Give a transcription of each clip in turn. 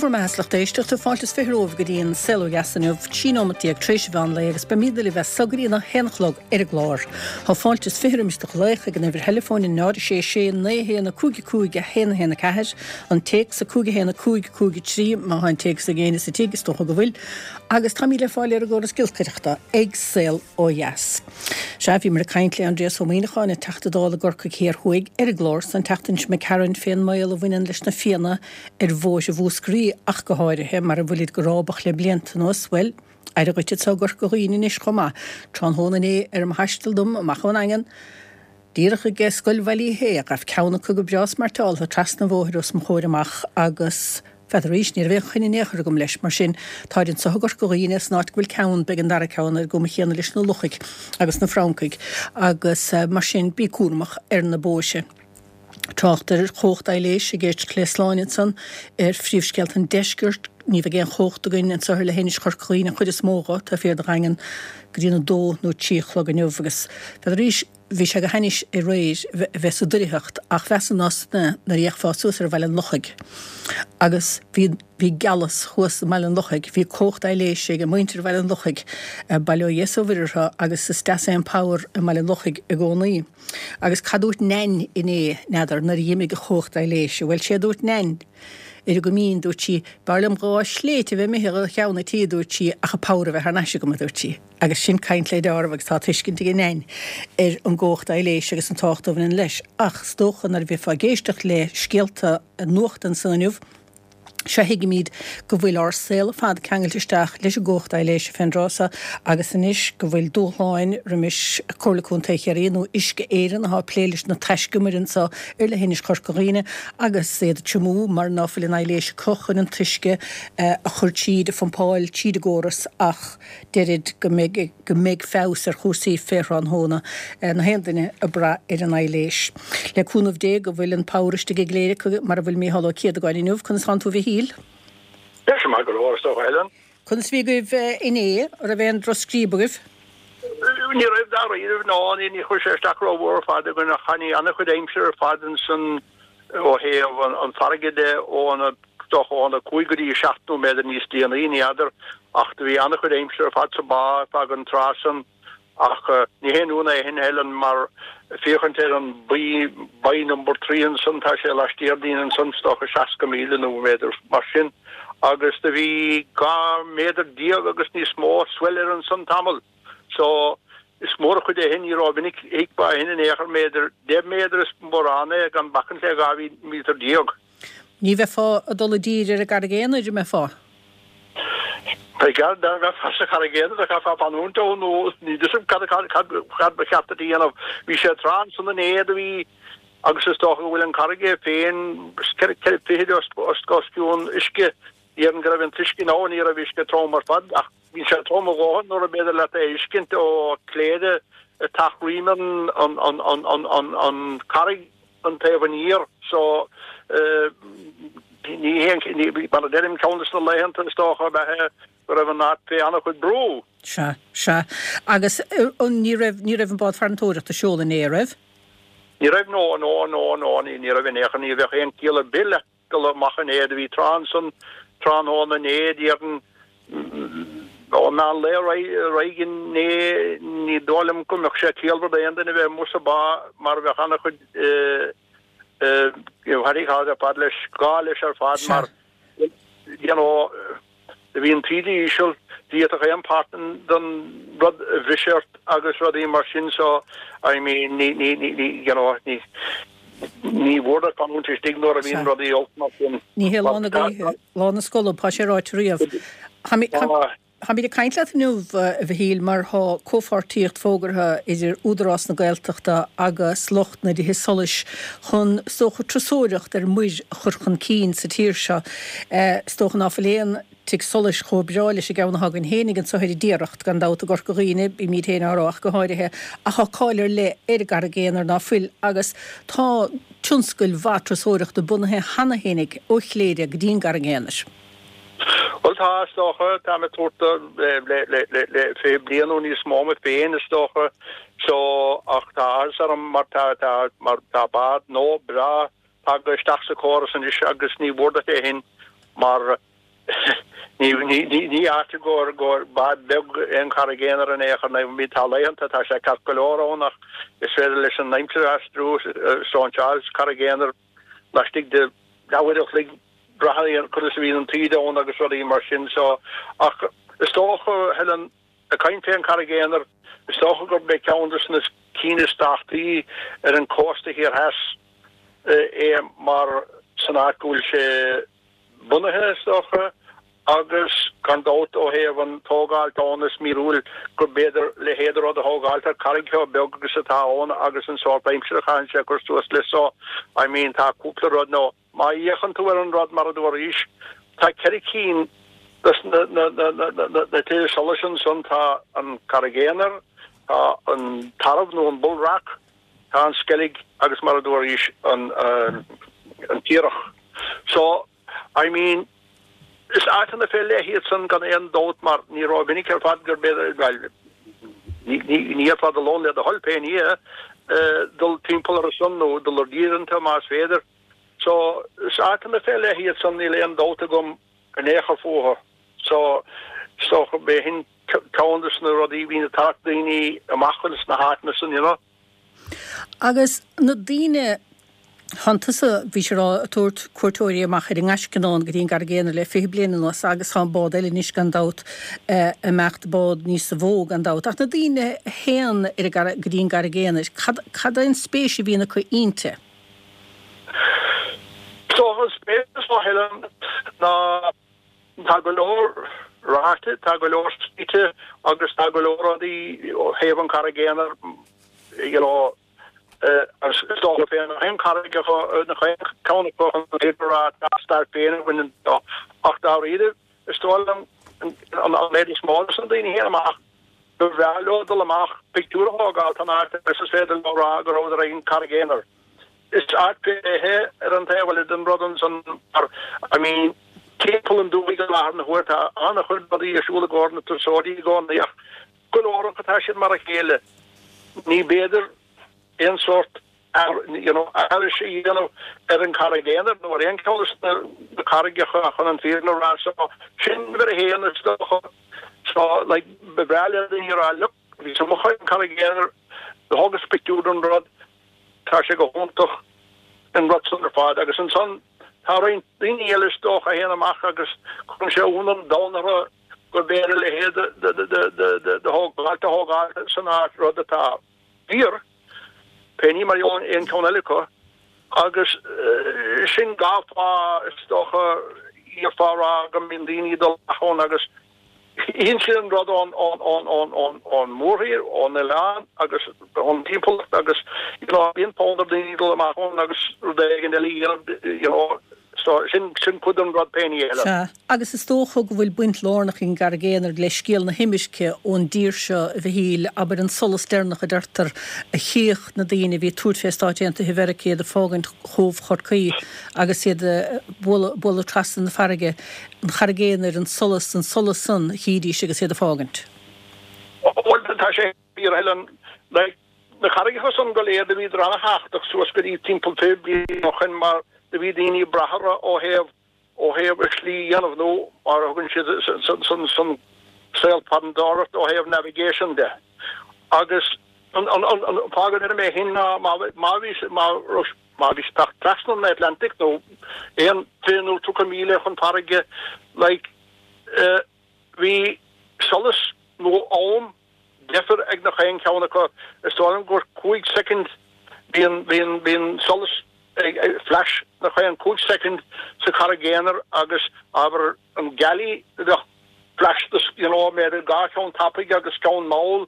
Bhur mbeatha 's lucht éisteachta, fáilte is 20 romhaibh go dtí an Saol Ó Dheas inniu, 13 nóimeat tar éis an mheán lae agus beimid libh as so go dtí an 1 a chlog ar an gclár. Tá fáilte is 20 roimis do ghlaoch ag an uimhir theileafóin 0 6 6 9 1 5 5 1 1 4, an téacs 5 1 5 5 3 má tá an téacs ag éinne sa tigh, is dócha go bhfuil, agus táimid le fáil ar an gcóras giolcaireachta ag Saol Ó Dheas. Sea, bhíomar ag caint le Aindrias Ó Muíneacháin, an Teachta Dála i gCorcaigh Thiar Thuaidh, ar an gclár san tseachtain seo imigh tharainn fén mbaol a bhaineann leis na Fianna ar bhóithre Mhúscraí ach go háirithe, mar a bhfuilid go rábach le blianta anuas, bhuel, aire dhuit anso i gCorca Dhuibhne anois chomh maith. Tráthnóna inné ar mo thaisteal dom amach ón nDaingean, díreach ag Scoil Bhaile Uí Shé, ghabh ceann acu go breá smairteáltha trasna an bhóthair os mo chomhair amach agus, n'fheadar arís, ní raibh aon choinne in aon chor agam leis, mar sin, táid anso i gCorca Dhuibhne, san áit go bhfuil ceann, beidh an dara ceann ar an gcuma chéanna leis na luchaigh agus na francaigh agus mar sin, bí cúramach ar na bóithre. Trácht ar chumhacht aibhléise ag éisteacht le Sláine ansan ar phríomhscéalta an deiscirt. Ní bheidh aon chumhacht againn anso ar leithinis Chorca Dhuibhne an chuid is mó dho, taobh thiar de Dhaingean, go dtí an 2 nó 3 a chlog inniu agus n'fheadar arís, bhí sé go hainnis aréir a bheith sa doircheacht ach mheasa ná san nuair a fhéachfá suas ar Bhaile an Lochaigh agus bhí bhí gealas thuas i mBaile an Lochaigh, bhí cumhacht aibhléise ag muintir Bhaile an Lochaigh, bail ó Dhia is ó Mhuire orthu agus is deas é an power i mBaile an Lochaigh i gcónaí. Agus cad dúirt Nain inné, n'fheadar, nuair a dh'imigh an chumhacht aibhléise? Bhuel, sé a dúirt Nain, ar an gcoimín, dúirt sí, b'fhearr liom 2 shléibhte a bheith imithe do cheann an tí, a dúirt sí, ach an power a bheith thar n-ais agam, a dúirt sí. Agus sin caint le deáramh agus tá tuiscint ag Nain ar an gcumhacht aibhléise agus an tábhacht a bhaineann leis. Ach is dócha nuair a bheifeá ag éisteacht le scéalta nuachta ansan inniu, seo thuigimid go bhfuil ár saol ar fad ceangailte isteach leis an gcumhacht aibhléise fén dtráth so agus anois go bhfuil dúshláin roimis Comhairle Contae Chiarraí nó Uisce Éireann atá ag plé leis na taiscumair anso ar leithinis Chorca Dhuibhne agus iad ag triomú mar ná fuil an aibhléis acu chun an t-uisce a chur tríd, a phumpáil tríd an gcóras ach deirid go mbeidh go mbeidh feabhas ar chúrsaí fé thráthnóna, na haon duine ag brath ar an aibhléis. Le cúnamh Dé go bhfuil an power istigh i gCléire mar a bhfuil Mícheál Ó Céadagáin inniu. Conas tánn tú a Mhichíl? Tá sé maith go leor, is dócha, Helen. Conas a bhí agaibh inné? An raibh aon drochscríob agaibh? Ní raibh dáiríre, ná ní chuir sé isteach rómhór ar fad againn ach tháinig an-chuid aimsire ar fad ansan ó thaobh an farraige de ó dócha óna 5 go dtí 7 nóiméad níos déanaí, ní fheadar, ach do bhí an-chuid aimsire ar fad sa bhá ar feadh an tráth san ach ní haon ionadh é shin, Helen, mar féachaint ar an buoy number 3 ansan, tá sé laistiar dínn ansan, is dócha 60 míle nó b'fhéidir mar sin, agus do bhí 12 méadar agus níos mó swell air ansan tamall. So, is mór an chuid é shin, ní rómhinic a fheicfeá é shin in aon chor, méadar, 10 méadar is mórán é gan bacaint le 12 míotar. Ní bheifeá ag dul i dtír ar an gCarraig Aonair, an mbeifeá? B'fhéidir, dá mbeifeá sa Charraig Aonair, do chaithfeá fanúint ann nó ní fhios agam cad, cad, cad, cad ba cheart duit a dhéanamh. Bhí sé tráth ansan inné do bhí, agus is dócha go bhfuil an carraig é féin 4 fichid os, os, os cionn uisce, déarfainn go raibh an t-uisce, nó ní raibh uisce trom ar fad ach Bhí sé trom a dhóthain nuair ab fhéidir leat é a fheiscint ó Chléire ag teacht roimh an charraig an taobh aniar so ní haon, mar a deirim, ceann de na laethanta is dócha ab ea é go raibh an áit fé an-chuid brú. Sea, sea. Agus ní raibh, ní raibh an bád farantóireachta ag seoladh inné, an raibh? Ní raibh, no, no, no, no, ní raibh in aon chor, ní bheadh aon chiall ar bith le. dul amach inné. Do bhí trá ansan tráthnóna inné, déarfainn, ó mheán lae ar aghaidh inné. Ní dóigh liom go mbeadh sé ciallmhar d'aon duine bheith amuigh sa bhá mar bheadh an-chuid what do you call it ar fad leis, gá leis ar fad mar you know, Do bhí an taoide íseal, d'fhéadfadh aon páirt den rud a bhriseadh ort agus rudaí mar sin so I mean ní, ní, ní, ní, you know, ní, ní mhór duit fanúint istigh nuair a bhíonn rudaí olc mar sin. Ní hé lá na gaoithe lá na scolb, tá sé ráite riamh. Táimid ag caint leat inniu, a Mhichíl, mar tá comhpháirtíocht fógartha idir Údarás na Gaeltachta agus lucht na dtithe solais chun, is dócha, turasóireacht ar muir a chur chun cinn sa tír seo. Is dócha ná fuil aon tigh solais chomh breá leis an gceann atá againn féinig anso ar an dTiaracht, gan dabht, i gCorca Dhuibhne, bímid féin á rá ach go háirithe, ach tá cáil ar leith ar an gCarraig Aonair ná fuil agus tá tionscail mhaith turasóireachta bunaithe cheana féinig ó Chléire go dtí an gCarraig Aonair. Bhuel tá, is dócha. Táim ag tabhairt do le 20 bliain nó níos mó mé féin, is dócha. So, ach tá áthas orm mar tá, tá, mar tá bád nua breá tagtha isteach sa chóras anois agus ní mhór duit é shin mar. Ní ní áit i gcomhair gcomhair bád beag é an Charraig Aonair in aon chor nó tá laethanta tá sé ceart go leor ann ach is féidir leis an aimsir aistriú stóinseáil sa Charraig Aonair laistigh de leathuair a chloig braitheann conas a bhíonn an taoide ann agus rudaí mar sin so ach is dócha Helen ag caint fé an Charraig Aonair is dócha gurb é ceann de na cinn is tábhachtaí ar an cósta thiar theas é mar san áit go bhfuil sé bunaithe, is dócha, agus gan dabht ó thaobh an tógáilt ann is míorúil gur b'fhéidir leithéid de rud a thógáilt ar carraig chomh beag agus atá ann agus an sórt aimsire a chaitheann sé a cur suas leis so I mean tá cúpla rud nó má fhéachann tú ar an rud mar a dúraís tá ceithre cinn des na na na na na na tithe solais ansan tá an Carraig Aonair, tá an Tarbh nó an Bull Rock, Tá an Sceilg agus mar a dúraís an an Tiarach. So, I mean, is áiteanna fé leith iad san gan aon dabht mar ní rómhinic ar fad gur b'fhéidir, bhuel, ní ní dhéarfá do lón le do thoil pé ní é, dul timpeall orthu san nó dul ar tír iontu más féidir. So, is áiteanna fé leith iad san níl aon dabht agam in aon chor fúthu. So, is dócha b'é shin ceann des na rudaí a bhíonn ag tarrac daoine amach ins na háiteanna san, you know. Agus na daoine, thánn tusa, bhís ag rá, ag tabhairt cuairteoirí amach ar an nGaisce anonn go dtí an gCarraig Aonair le 20 bliain anuas agus tá an bád eile anois gan dabht ag imeacht, bád níosa mhó gan dabht. Ach na daoine a théann ar an gCarraig, go dtí an gCarraig Aonair, cad, cad é an spéis a bhíonn acu inti? So an spéis is mó, Helen, ná tá go leor ráite, tá go leor scríte agus tá go leor rudaí ó thaobh an Charraig Aonair, you know, is dócha féin nach aon charraig acu, nach aon ceann acu chun an fhírinne a rá, tá a stair féin a bhaineann leo. Ach dáiríre, is dóigh liom an méid is mó de na daoine a théann amach, gur bhreá leo dul amach pictiúr a thógáil san áit agus is féidir leo rá go rabhadar ag an Charraig Aonair. Is áit fé leith é ar an taobh eile den rud ansan mar, I mean, timpeall an dúthaigh i láthair na huaire tá an-chuid rudaí ar siúl i gcomhair na turasóirí i gcónaí ach go leor acu tá siad mar a chéile. Ní b'fhéidir aon sórt you know, aithris a dhéanamh ar an Charraig Aonair nó ar aon cheann de na carraigeacha chun an fírinne a rá. So, sin uimhir a haon is dócha. So, like, ba bhreá le daoine a rá, look, bhíos amuigh ar an Charraig Aonair, do thógas pictiúr den rud, tá sé go hiontach an rud san ar fad. Agus ansan, tá roinnt daoine eile is dócha a théann amach agus cuireann sé ionadh an domhain orthu gur b'fhéidir a leithéid de thógáilt a thógáil san áit, rud atá fíor. Pé ní mar aon cheann eile acu, agus sin dhá fáth is dócha d'fhéadfá a rá go mbíonn daoine ag dul amach ann agus tchíonn siad an rud ón ón mórthír, ón oileán agus ón dtimpeallacht agus you know bíonn fonn ar daoine dul amach ann agus rud éigin eile a dhéanamh you know so sin sin cuid den rud pé ní eile. Sea, agus is dócha go bhfuil baint lárnach ag an gCarraig Aonair le scéal na himirce ón dtír seo, a Mhichíl, abair an solas deireanach a deirtear a chíodh na daoine a bhí ag tabhairt fé Stáit Aontaithe Mheiriceá, iad ag fágaint Chóbh Chorcaí agus iad ag bualadh trasna na farraige, an Charraig Aonair, an solas, an solas san a chídís agus iad ag fágaint. Bhuel, tá sé fíor, a Helen, like, na carraigeacha san go léir do bhíodar ana-thábhachtach suas go dtí timpeall 20 bliain ó shoin mar do bhí daoine ag brath orthu ó thaobh ó thaobh a slí a dhéanamh nó mar a thugann siad san san saol farantóireachta ó thaobh navigation de. Agus an an an an fáth go ndeirim é sin ná má má bhí má raibh má bhí teacht trasna an Atlantic nó aon 20 nó 30 míle chun farraige like eh bhí solas nó am deifir ag nach aon cheann acu. Is dóigh liom gur 5 soicind bíonn bíonn bíonn solas ag flash nach aon 5 soicind sa Charraig Aonair agus abair an gealaí bheadh flash you know b'fhéidir dhá cheann tapaidh agus ceann mall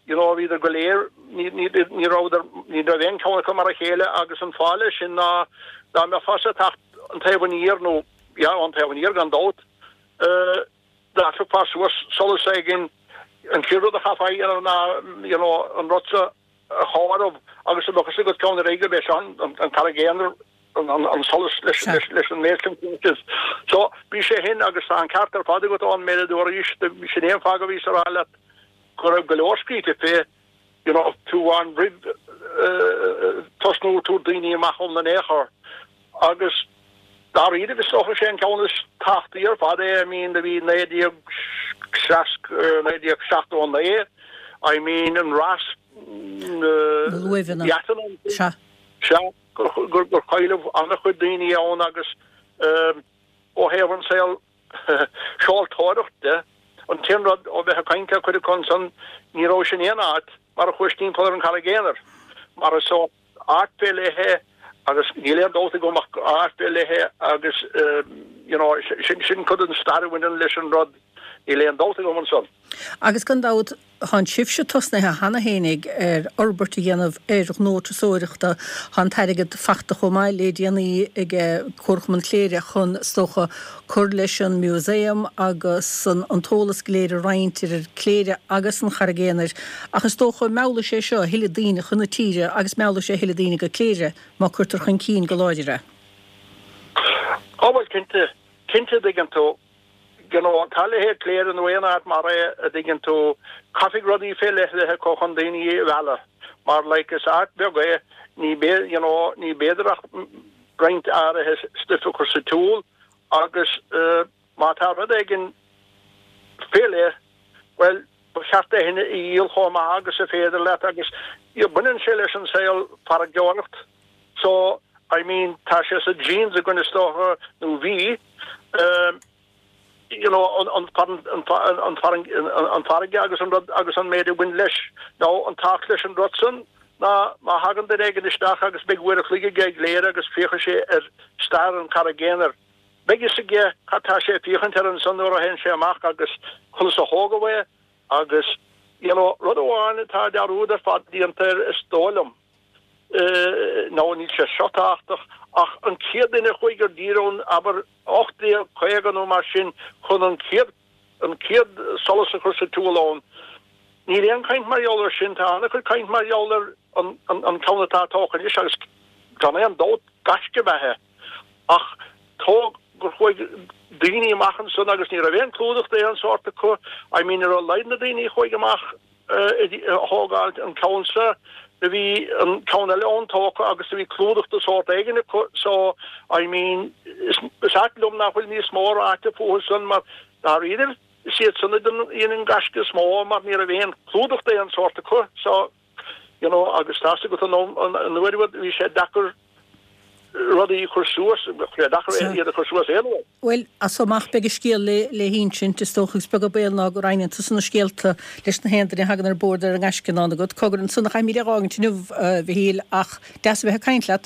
you know bhíodar go léir ní ní ní rabhadar ní raibh aon cheann acu mar a chéile agus an fáth leis sin ná dá mbeifeása ag teacht an taobh aniar nó yeah an taobh aniar gan dabht eh Dá dtiocfá suas solas éigin, an chéad rud a chaithfeá a dhéanamh ná you know an rud seo a chomhaireamh agus a bheadh fhios agat ceann ar éigin gurb é seo an Charraig Aonair, an solas leis an méid sin flashes. So bhí sé shin agus tá an ceart ar fad agat ón méid a dúraís, sin é an fáth go bhíos a rá leat go raibh go leor scríte fé you know fiú amháin roimh tosnú ag tabhairt daoine amach ann in aon chor agus. Dáiríribh is dócha sé an ceann is tábhachtaí ar fad é, I mean do bhí 1960, 1979, I mean an rás na luaimheanna, sea, sea, gur cailleadh an-chuid daoine ann agus ó thaobh an saol seoltóireacht de, an t-aon rud ó bheith ag caint le cuid acu ansan, ní raibh sin aon áit mar a chuais timpeall ar an Charraig Aonair, mar is sórt áit fé leith é agus níl aon dabht agam ach gur áit fé leith é agus you know sin sin cuid den stair a bhaineann leis an rud, níl aon dabht agam ansan. Agus gan dabht, tá sibhse tosnaithe cheana fhéinig ar fhorbairt a dhéanamh ar ghnó turasóireachta, tá an t-airgead fachta chomh maith le déanaí ag Comharchumann Chléire chun, is dócha, cur leis an museum agus an t-eolas go léir a roinnt idir Cléire agus an Charraig Aonair ach is dócha meallfaidh sé seo a thuilleadh daoine chun na tíre agus meallfaidh sé a thuilleadh daoine go Cléire má cuirtear chun cinn go láidir é. Á bhuel cinnte, cinnte a dtuigeann tú, you know tá a leithéid Cléire nó aon áit mar é a dtuigeann tú, caithfidh rudaí fé leith a bheith acu chun daoine a mhealladh mar like is áit bheag é, ní you know ní b'fhéidir ach roinnt áirithe stuif a chur sa tsiúl agus má tá rud éigin fé leith, bhuel, ba cheart é sin a dhíol chomh maith agus a féidir leat agus baineann sé leis an saol farraigeoireacht so, I mean, tá sé sa genes againn is dócha, nó bhí, you know, an farraige agus an rud agus an méid a bhain leis. Now, an tábhacht leis an rud san ná má thagann duine éigin isteach agus beidh uair a chloig aige i gCléire agus féachfaidh sé ar stair an Charraig Aonair, beidh fhios aige cad tá sé ag féachaint air ansan nuair a théann sé amach agus conas a thógadh é agus, you know, rud amháin atá dearúd ar fad déanta air is dóigh liom. Nó níl sé seo tábhachtach, ach an chéad duine a chuaigh ar dtír ann, abair, 1850 nó mar sin, chun an chéad, an chéad solas a chur sa tsiúl ann. Níl aon chaint mar gheall air sin. Tá an-chuid caint mar gheall ar an, an ceann atá tógtha anois agus gan aon dabht gaisce ab ea é. Ach tóg gur chuaigh daoine amach ansan agus ní raibh aon clúdach d'aon sórt acu. I mean ar a laghad na daoine a chuaigh amach, a thógáil an ceann seo. Do bhí an ceann eile ann tógtha agus do bhí clúdach de sórt éigin acu so I mean is ait liom nach bhfuil níos mó ráite fúthu san mar dáiríribh is iad san a dhein an gaisce is mó mar ní raibh aon clúdach d'aon sórt acu so you know agus tá's agat an uair a bhí sé deacair rudaí a chur suas, sé deacair iad a chur suas aon uair. Bhuel, as so amach beidh an scéal le hinsint, is dócha, agus beag an baol ná go roinneann tusa na scéalta leis na haon duine a thagann ar bord ar an ngaisce i ndán agat. Cogar, ansan a chaithfimid é dh'fhágaint inniu, a Mhichíl, ach deas a bheith ag caint leat.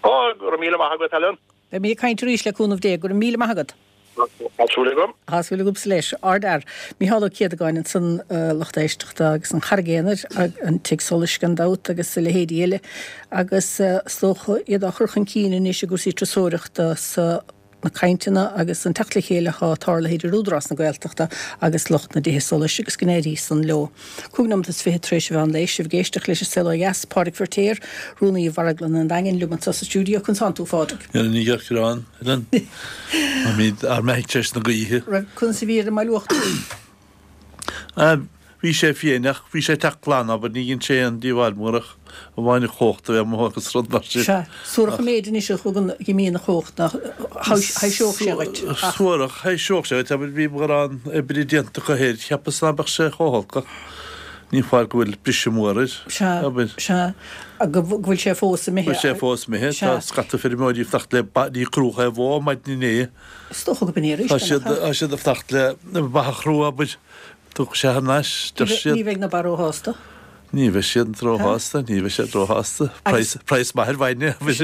Ó, go raibh míle maith agat, Helen. Beimid ag caint arís le cúnamh Dé. Go raibh míle maith agat. Tá súil agam. Tá súil agamsa leis. Ardfhear. Micheál Ó Céadagáin ansan, lucht éisteachta agus an Charraig Aonair, an Tigh Solais gan dabht agus a leithéidí eile agus is dócha iad á chur chun cinn anois i gcúrsaí turasóireachta sa na cainteanna agus an teacht le chéile atá tarlaithe idir Údarás na Gaeltachta agus lucht na dtithe solais agus go n-éirí san leo. 25 nóimeat tar éis an mheán lae, sibh ag éisteacht leis an Saol Ó Dheas, Pádraig Feirtéar, Rúnaí Mharglann an Daingin, liom anseo sa stiúideo. Conas tánn tú, a Phádraig? Ní ghearrán, Helen. Táimid ár mbeathaigh tar éis na gaoithe. Raibh, conas a bhí ar an mBaile Uachtarach? Bhí sé fiáin ach bhí sé ag teacht glan, abair, ní dhein sé aon díobháil mhór ach amháin an chumhacht a bheith amuigh agus rud mar sin. Sea, suarach an méid anois a thugann go mbíonn an chumhacht nach thaibhseodh sé dhuit ach. Suarach, thaibhseodh sé dhuit, abair, bhí mórán oibre déanta acu air, cheapas ná beadh sé chomh holc ach ní foláir go bhfuil briseadh mór air, Sea, abair. sea, go bhfuil sé fós imithe. Bhfuil sé fós imithe, tá scata feirmeoirí ag fanacht le ní crúdh é bhó maidin inné. Is dócha go b'in é arís, Tá siad, tá siad ag fanacht le ba a chrú, abair. Tiocfaidh sé thar n-ais, deir siad. Ní bheidh na ba róshásta. Ní bheidh siad róshásta, ní bheidh siad róshásta. Praghas, praghas maith ar bhainne, agus.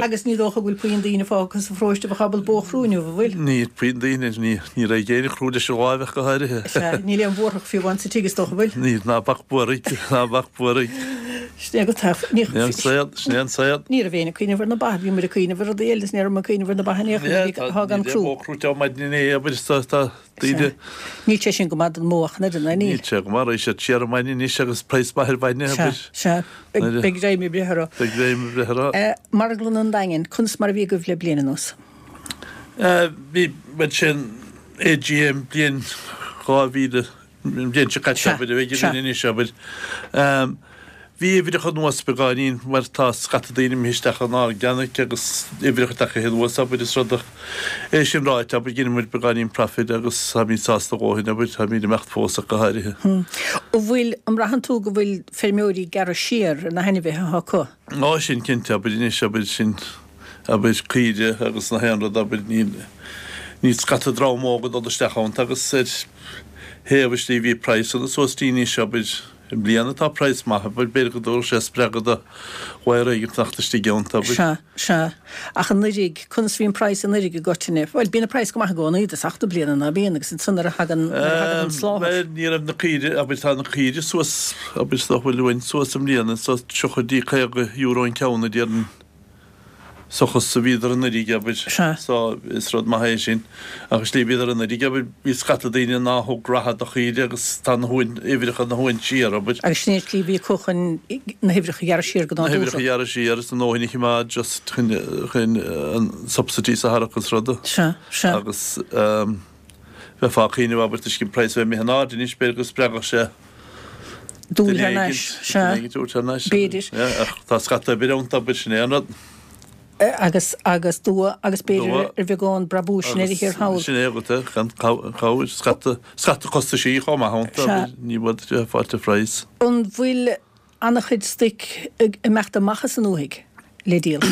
Agus ní dócha go bhfuil puinn daoine fágtha sa pharóiste a bheadh ábalta bó a chrú inniu, an bhfuil? Níl puinn daoine, ní, ní raibh éinne ag crú leis an láimh ach go háirithe. Sea, níl aon bhuarthach fiú amháin sa tigh is dócha, an bhfuil? Níl, ná bac buarthaigh, ná bac buarthaigh. Sin é go taif, ní. Sin é an saol, sin é an saol. Ní raibh éinne ag cuimhneamh ar na ba, bhí muid ag cuimhneamh ar rudaí eile is ní raibh muid ag cuimhneamh ar na ba in aon chor, bhí, tá gan crú. Níl aon bhó crúite ó maidin inné, abair, tá, tá. Daoine. Níl sé sin go maith don mbó ach an oiread, ná níl? Níl sé go maith, raghaidh siad siar ar maidin anois agus praghas maith ar bhainne, abair. Sea, sea. Beidh greim ag breith orthu. Beidh greim ag breith orthu. Marglann an Daingin, conas mar a bhí agaibh le bliain anuas? Bhí, bhuel sin AGM bliain 2000, an bhliain seo caite, abair, a bheidh againn anois, abair. Bhí uimhreacha anuas beagáinín mar tá scata daoine imithe isteach in organic agus uimhreacha tagtha anuas abair is rud ach é sin ráite abair dhein muid beagáinín profit agus táimid sásta a dhóthain abair táimid ag imeacht fós ach go háirithe. An bhfuil, an mbraitheann tú go bhfuil feirmeoirí ag gearradh siar ar na hainmhithe atá acu? Á sin cinnte abair anois abair sin abair caoire agus na haon rud abair níl níl scata dream óg ag dul isteach ann agus ar thaobh istigh bhí praghsanna suas dtí anois abair I mbliana tá praghas maith, abair, b'fhéidir go dtabharfadh sé spreagadh do mhaor éigin fanacht istigh ann, abair. Sea, sea. Ach anuraidh, conas a bhí an praghas anuraidh i gcoitinne? Bhuel, bíonn an praghas go maith i gcónaí i dtosach na bliana, ná bíonn? Agus ansan nuair a thagann, nuair a thagann an sláthair. Bhuel, ní raibh na caoire, abair, tá na caoire suas, abair, is dócha go bhfuil uainn suas i mbliana, suas 30 dtí €50 an ceann a déarfainn. Seachas a bhíodar anuraidh, abair. Sea. So, is rud maith é sin. Ach is slí bhíodar anuraidh, abair, bhí scata daoine ná thug rogha do chaoire agus tá na huain, uimhreacha na huain siar, abair. Agus sin é an tslí a bhí acu chun na huimhreacha a ghearradh siar go nádúrtha. Na huimhreacha a ghearradh siar is a ndóthain a choimeád just chun, chun an subsidies a tharrac is ruda. Sea, sea. Agus ehm, bheifeá ag cuimhneamh, abair, toisc an praghas a bheith imithe in airde anois, b'fhéidir go spreagfadh sé Dul thar n-ais, sea, b'fhéidir. Ach tá scata oibre ann, abair, sin é an rud. Agus, agus dua, agus b'fhéidir ar bheagán brabúis i ndeireadh thiar thall. Sin é agat é, gan cabhair, scata, scata costaisí chomh maith ann, abair, ní bhfuil sé fáilte phraghas. An bhfuil an-chuid stoic ag imeacht amach as an ndúthaigh le díol?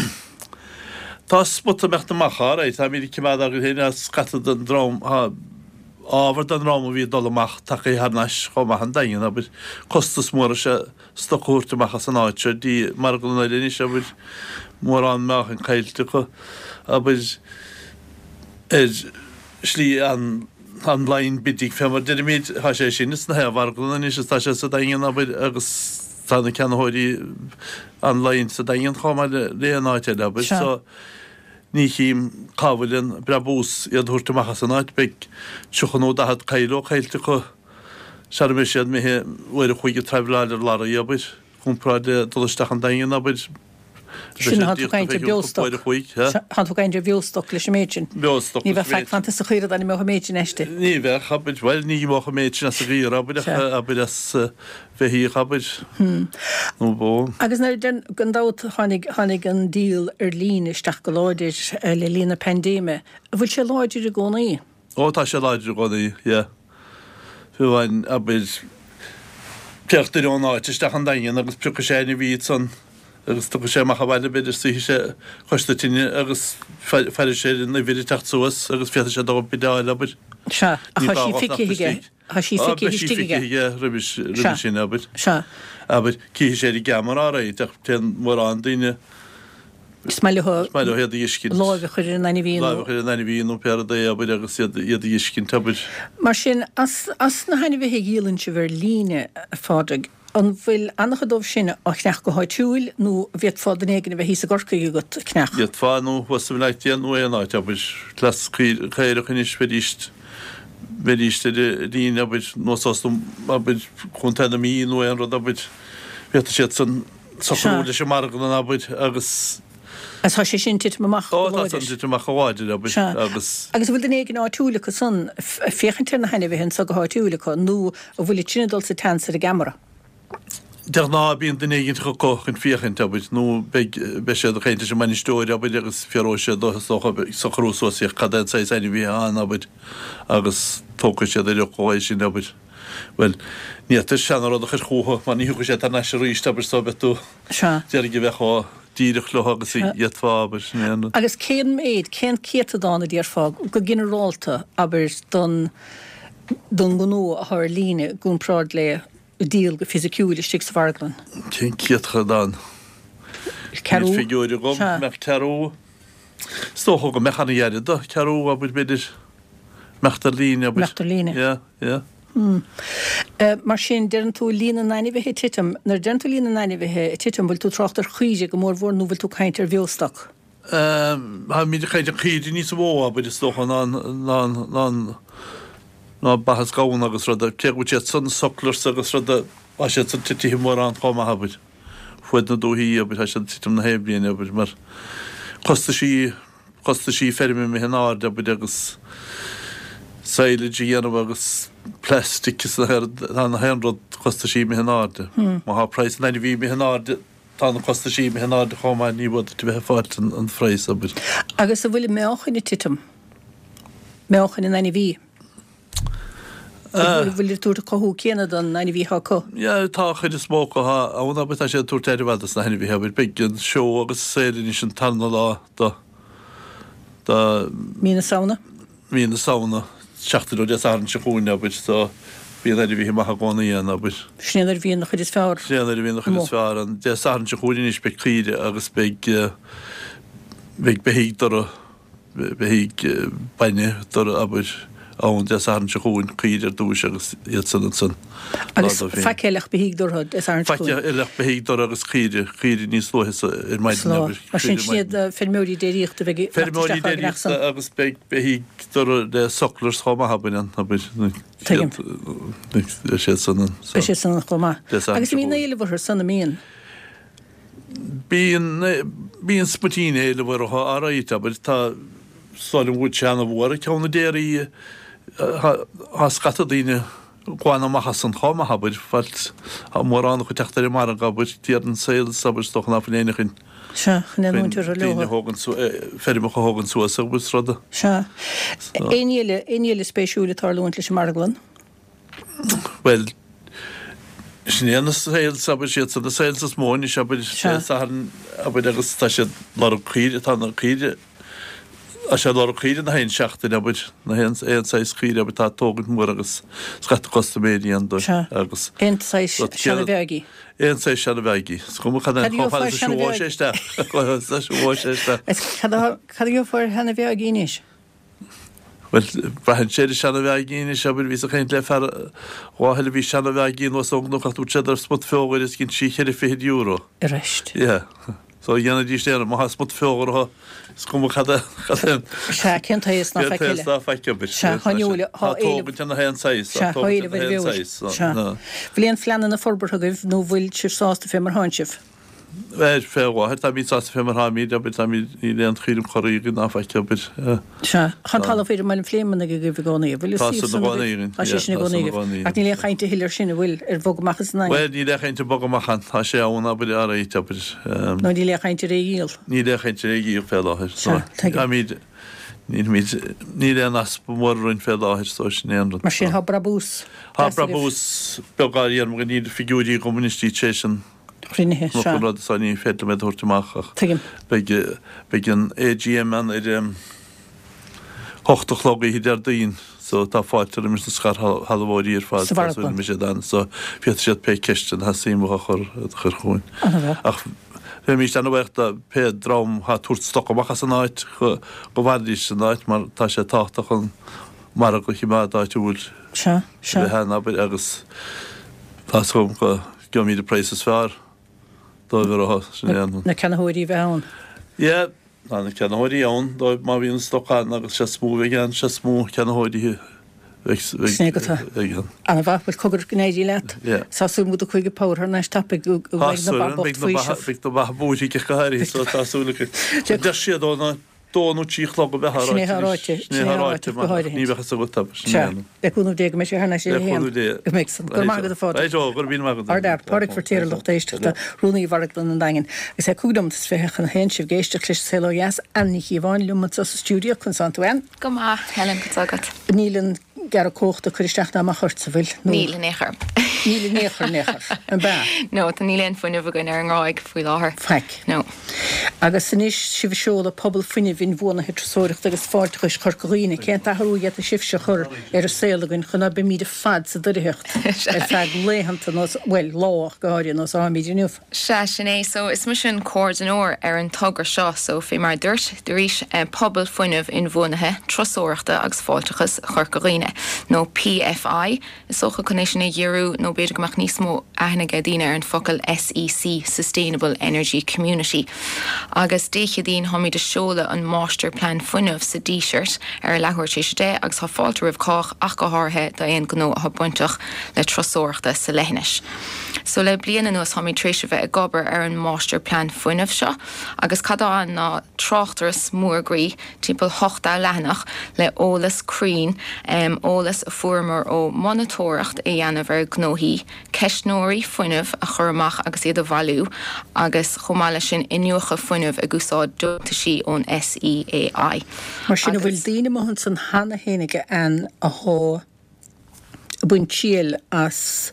Tá spota ag imeacht amach, alright, táimid ag coimeád againn féin, tá scata den dream, tá ábhar den dream a bhí ag dul amach tagtha thar n-ais chomh maith an Daingean, abair, costas mór is ea stoc a thabhairt amach as an áit seo dtí marglann eile anois, abair, mórán meáchain caillte acu, abair, ar shlí an. online bidding fé mar deirimid, tá sé sin sna haon mharglanna anois is tá sé sa Daingean abair agus tá na ceannaitheoirí online sa Daingean chomh maith le aon áit eile abair so ní chím cá bhfuil an brabús iad a thabhairt amach as an áit, beidh 30 nó 40 kilo caillte acu sara mbeidh siad imithe uair a chloig ag traibhleáil ar lorraí abair, comparáid le dul isteach an Daingean abair. Sin tá tú ag caint ar bheostoc. Tá tú ag caint ar bheostoc leis an méid sin. Beostoc. Ní bheadh faic fanta sa chaora dá n-imeodh an méid sin aisti. Ní bheadh, abair, bhuel, ní imeodh an méid sin as an gcaora, abair, ach abair as beithíoch, abair, nó bó. Agus nuair a deir, gan dabht, tháinig, tháinig an díol ar líne isteach go láidir le linn na paindéime. An bhfuil sé láidir i gcónaí? Ó, tá sé láidir i gcónaí, yeah. Fiú amháin, abair, téadh duine ón áit isteach an Daingean agus piocfaidh sé ainmhí ansan agus tiocfaidh sé amach abhaile, b'fhéidir, suífidh sé cois na tine agus faire sé ar an uimhir ag teacht suas agus féadfaidh sé dul ag bideáil, abair. Sea, ach tá sí feicthe aige. Tá sí feicthe istigh aige. Á, beidh sí feicthe aige roimhe sin, abair. Sea. Abair, cífidh sé ar an gceamara, alright, ach téann mórán daoine. Is maith leo Is maith leo iad a fheiscint. láimh a chur ar an ainmhí nó. Láimh a chur ar an ainmhí nó pé rud é, abair, agus iad a fheiscint, abair. Mar sin, as as na hainmhithe a dhíolann sibh ar líne, a Phádraig, an bhfuil an-chuid dóibh sin á cheannach go háitiúil nó an bhféadfá duine éigin a bheith thíos i gCorcaigh agat a cheannach? D'fhéadfá, nó thuas i mBleá Cliath nó aon áit, abair. Cleas caorach anois, bheidís, bheidís ar líne, abair, nó suas, abair, Contae na Mí nó aon rud, abair. Féadfaidh siad san. socrú leis an marglann, abair, agus. Agus tá sé sin ag titim amach go láidir. Ó, tá san ag titim amach go láidir, abair, Sea. agus. Agus an bhfuil duine éigin áitiúil acu san ag féachaint ar na hainmhithe anso go háitiúil acu, nó an bhfuil iad sin ag dul sa tseans ar an gceamara? De ghnáth bíonn duine éigin acu chun féachaint, abair, nó beidh, beidh siad ag caint leis an mbainisteoir, abair, agus fiafróidh siad dó, is dócha, ag socrú suas féach cad é an saghas ainmhí atá ann, abair, agus tógfaidh siad ar fhocal é sin, abair. Bhuel, ní fhéadfaí seana-rud a chur chucu mar ní thiocfaidh sé thar n-ais arís, abair, so beidh tú Sea. d'iarraidh a bheith chomh díreach leo agus a d'fhéadfá, abair, sin é an rud. Agus cén méid, cén céatadán a déarfá, go ginearálta, abair, don, don ngnó atá ar líne i gcomparáid le díol go fisiciúil istigh sa mharglann? Cén céatadán? Ceathrú? Níl figiúir agam. Sea. Mbeadh ceathrú, is dócha go mbeadh an-ghairid do, ceathrú, abair, b'fhéidir. Imeacht ar líne, abair. Imeacht ar líne. Yeah, yeah. Hmm. Mar sin, deireann tú líon na n-ainmhithe ag titim. Nuair a deireann tú líon na n-ainmhithe ag titim, bhfuil tú ag trácht ar chaoirigh go mórmhór nó bhfuil tú ag caint ar bheostoc? Táimid ag caint ar chaoirigh níos mó, abair, is dócha, ná ná ná ná ba is gamhna agus ruda. Cé go bhfuil siad san sucklers agus ruda, tá siad san titithe mórán chomh maith, abair. Fuaid na dúthaí, abair, tá siad ag titim na haon bhliain, abair, mar costaisí costaisí feirme imithe in airde, abair, agus. Silage a dhéanamh agus plastic is tá na haon rud costaisí imithe in airde. Má thá praghas an ainmhí imithe in airde tá na costaisí imithe in airde chomh maith ní bhfad duit a bheith ag fáilt an phraghas abair. Agus an bhfuil an meáchan ag titim? Meáchan an ainmhí? An bhfuil ag tabhairt an cothú céanna don ainmhí atá acu? Yeah tá an chuid is mó acu thá ann abair tá siad ag tabhairt aire mhaith dos na hainmhithe abair beidh an seó agus sale anois an tarna lá do do Mí na Samhna? Mí na Samhna, seachtain ó Dé Sathairn seo chugainn, abair, so bíonn ainmhithe maithe i gcónaí ann, abair. Sin é nuair a bhíonn an chuid is fearr Sin é nuair a bhíonn an chuid is fearr ann. Dé Sathairn seo chugainn anois beidh caoire agus beidh, beidh beithígh dura, beithígh bainne dura, abair, ann Dé Sathairn seo chugainn, caoire ar dtúis agus iad san ansan. Agus faic eile ach beithígh durtha Dé Sathairn seo chugainn. Faic eile ach beithígh durtha agus caoire, caoire níos luaithe sa, ar maidin, abair. Mar sin, sin iad feirmeoirí déiríochta a bheidh ag teacht isteach á gceannach san. Feirmeoirí déiríochta agus beidh beithígh durtha le sucklers chomh maith, abair, ann, abair. Tuigim. Beidh siad san ann. Beidh siad san ann chomh maith. Agus an mbíonn éileamh orthu san, an mbíonn? Bíonn, bíonn smuitín éileamh orthu, alright, abair, tá, is dóigh liom go bhfuil sé ana-mhór ag ceann na déirí, tá scata daoine glan amach as an chomh maith, abair, failt, tá mórán acu ag teacht ar an margadh, abair, d'iarr an sales, abair, is dócha ná fuil éinne chun, Sea, chun leanúint orthu leo. daoine a thógaint suas, feirmeacha a thógaint suas, abair, is ruda. Sea. Aon ní eile, aon ní eile spéisiúil ag tarlúint leis an marglann? Bhuel, sin é na sales, abair, siad san na sales is mó anois, abair, Dé Sathairn, abair, agus tá siad lorg caoire, tá na caoire, tá sé lorg caoire na haon seachtain, abair, na haon, aon saghas caoire, abair, tá tógaint mór agus scata custaiméirí ann dóibh Sea. agus. Aon saghas seana-bheáigí. Aon saghas seana-bheáigí. Is cuma cad é, chomh fada is a siúlóidh sé isteach, chomh fada is a siúlóidh sé isteach. Cad a, cad a gheofá ar sheana-bheáigí anois? Bhuel, braitheann sé ar an seana-bheáigí anois, abair, bhíos ag caint le fear lá eile, bhí seana-bheáigí anuas ón gcnoc ach dúirt sé ar smut feóghair is dhein sí cheithre fichid euro. Arís. Yeah. So dhéanfaidís aon, má tá smut feóghair orthu, is cuma cad é, cad é an. Sea, cén t-aos ná faic eile. Cén t-aos ná faic, abair. Sea, tá an eola, tá éileamh. Tá tógaint ar na haon saghas. Sea, tá éileamh ar an bhfeoil. Sea. Bhfuil aon phleananna forbartha agaibh nó bhfuil sibh sásta fé mar thánn sibh? Bhuel, fé láthair, táimid sásta fé mar tháimid, abair, táimid, níl aon chúram corraí againn ná faic, abair. Sea. Tá an talamh thiar i mBaile an Phléimeannaigh agaibh i gcónaí, an bhfuil? Tá san i gcónaí againn, Tá sé sin i gcónaí agaibh. Ach níl aon chaint a thuilleadh ar sin, an bhfuil, ar bhogadh amach as an nDaingean? Bhuel, níl aon chaint ar bogadh amach ann, tá sé ann, abair, alright, abair. Nó níl aon chaint ar é a dhíol? Níl aon chaint ar é a dhíol fé láthair. Sea, tuigim. Táimid, nílimid, níl aon easpa mór orainn fé láthair, so sin é an rud. Mar sin, tá brabús Tá deas agaibh. brabús beag á dhéanamh againn, níl figiúirí agam anois tar éis an. chruinnithe seo. An rud so ní féidir liom iad a thabhairt amach ach Tuigim. beidh, beidh an AGM ann ar a hocht a chlog oíche Déardaoin so tá fáilte roimis na scairshealbhóirí ar fad Sa tá súil mharglann. go mbeidh siad ann so féadfaidh siad pé ceisteanna atá suim acu a chur, a chur chugainn. Ana-mhaith. Ach bheimís ana-bhuíoch do pé dream atá ag tabhairt stoc amach as an áit go, go bhfanfaidís san áit mar tá sé tábhachtach an margadh a choimeád áitiúil Sea, sea. a bheith ann abair agus tá 's agam go Gheobhaimid an praghas is fearr dóibh orthu, sin é an. Na ceannaitheoirí a bheith ann. Yeah, tá na ceannaitheoirí ann dóibh má bhíonn stoc ann agus is mó a bheidh ann, is mó ceannaitheoirí a bheidh Sin é go tá. ann. Ana-mhaith, bhuel cogar go n-éirí leat. Yeah. Tá súil agam go dtiocfaidh Power thar n-ais tapaidh go Tá mbeidh na súil ba agam, bocht beidh na ba, faoiseamh. beidh na ba buartha go háirithe so tá súil againn. Deir siad ó na dó nó trí a chlog a bheith á ráite. Sin é atá ráite. Sin é atá ráite, go háirithe. Ní bheadh fhios agat, abair. Sin é an. Le cúnamh Dé go mbeidh sé thar n-ais ar a haon. Le cúnamh Dé. Go mbeidh san. Go raibh maith agat a Phádraig. Right o, go raibh míle maith agat. Ardfhear, Pádraig Feiritéar a lucht éisteachta, Rúnaí Mharglann an Daingin. Agus é 25 nóimeat chun a haon sibh ag éisteacht leis an Saol Ó Dheas, Ann Ní Chíobháin liom anseo sa stiúideo, conas tánn tú Ann? Go maith, Helen, cad tá agat? Níl an gearradh cumhachta ag cur isteach ná amach ort, an bhfuil? Nó. Níl in aon chor. Níl in aon chor, in aon chor. An b'ea? No, tá níl aon fuinneamh againn ar an nGráig faoi láthair. Faic. No. Agus anois sibh ag seoladh Pobal Fuinnimh Inbhuanaithe Turasóireachta agus Fáilteachais Chorca Dhuibhne, cén t-athrú a d'fhéadfadh sibhse a chur ar an saol againn chun ná beimíd ar fad sa doircheacht ar feadh laethanta nó, bhuel, lá ach go háirithe, nós atáimid inniu? Sea, sin é. So, is mise an comhordaineoir ar an togra seo. So, fé mar a dúirt, arís, Pobal Fuinnimh Inbhuanaithe, Turasóireachta agus Fáilteachais Chorca Dhuibhne. nó PFI is dócha chun é sin a ghiorrú nó b'fhéidir go mbeadh níos mó aithne ag daoine ar an focal SEC, Sustainable Energy Community. Agus Dé Céadaoin táimid ag seoladh an Máistirphlean Fuinnimh sa Díseart ar a leathuair tar éis a 10 agus tá fáilte roimh chách ach go háirithe d'aon ghnó atá bainteach le turasóireachta sa leithinis. So le bliain anuas táimid tar éis a bheith ag obair ar an Máistirphlean Fuinnimh seo agus cad atá ann ná tráchtaireacht mór groí timpeall 80 leathanach le eolas cruinn, eolas a fuaireamar ó monatóireacht a dhéanamh ar ghnóthaí, ceistneoirí fuinnimh a chur amach agus iad a bhailiú agus chomh maith leis sin iniúchadh fuinnimh ag úsáid deontaisí ón SEAI. Mar sin an bhfuil daoine amuigh ansan cheana fhéinig ann athá ag baint triail as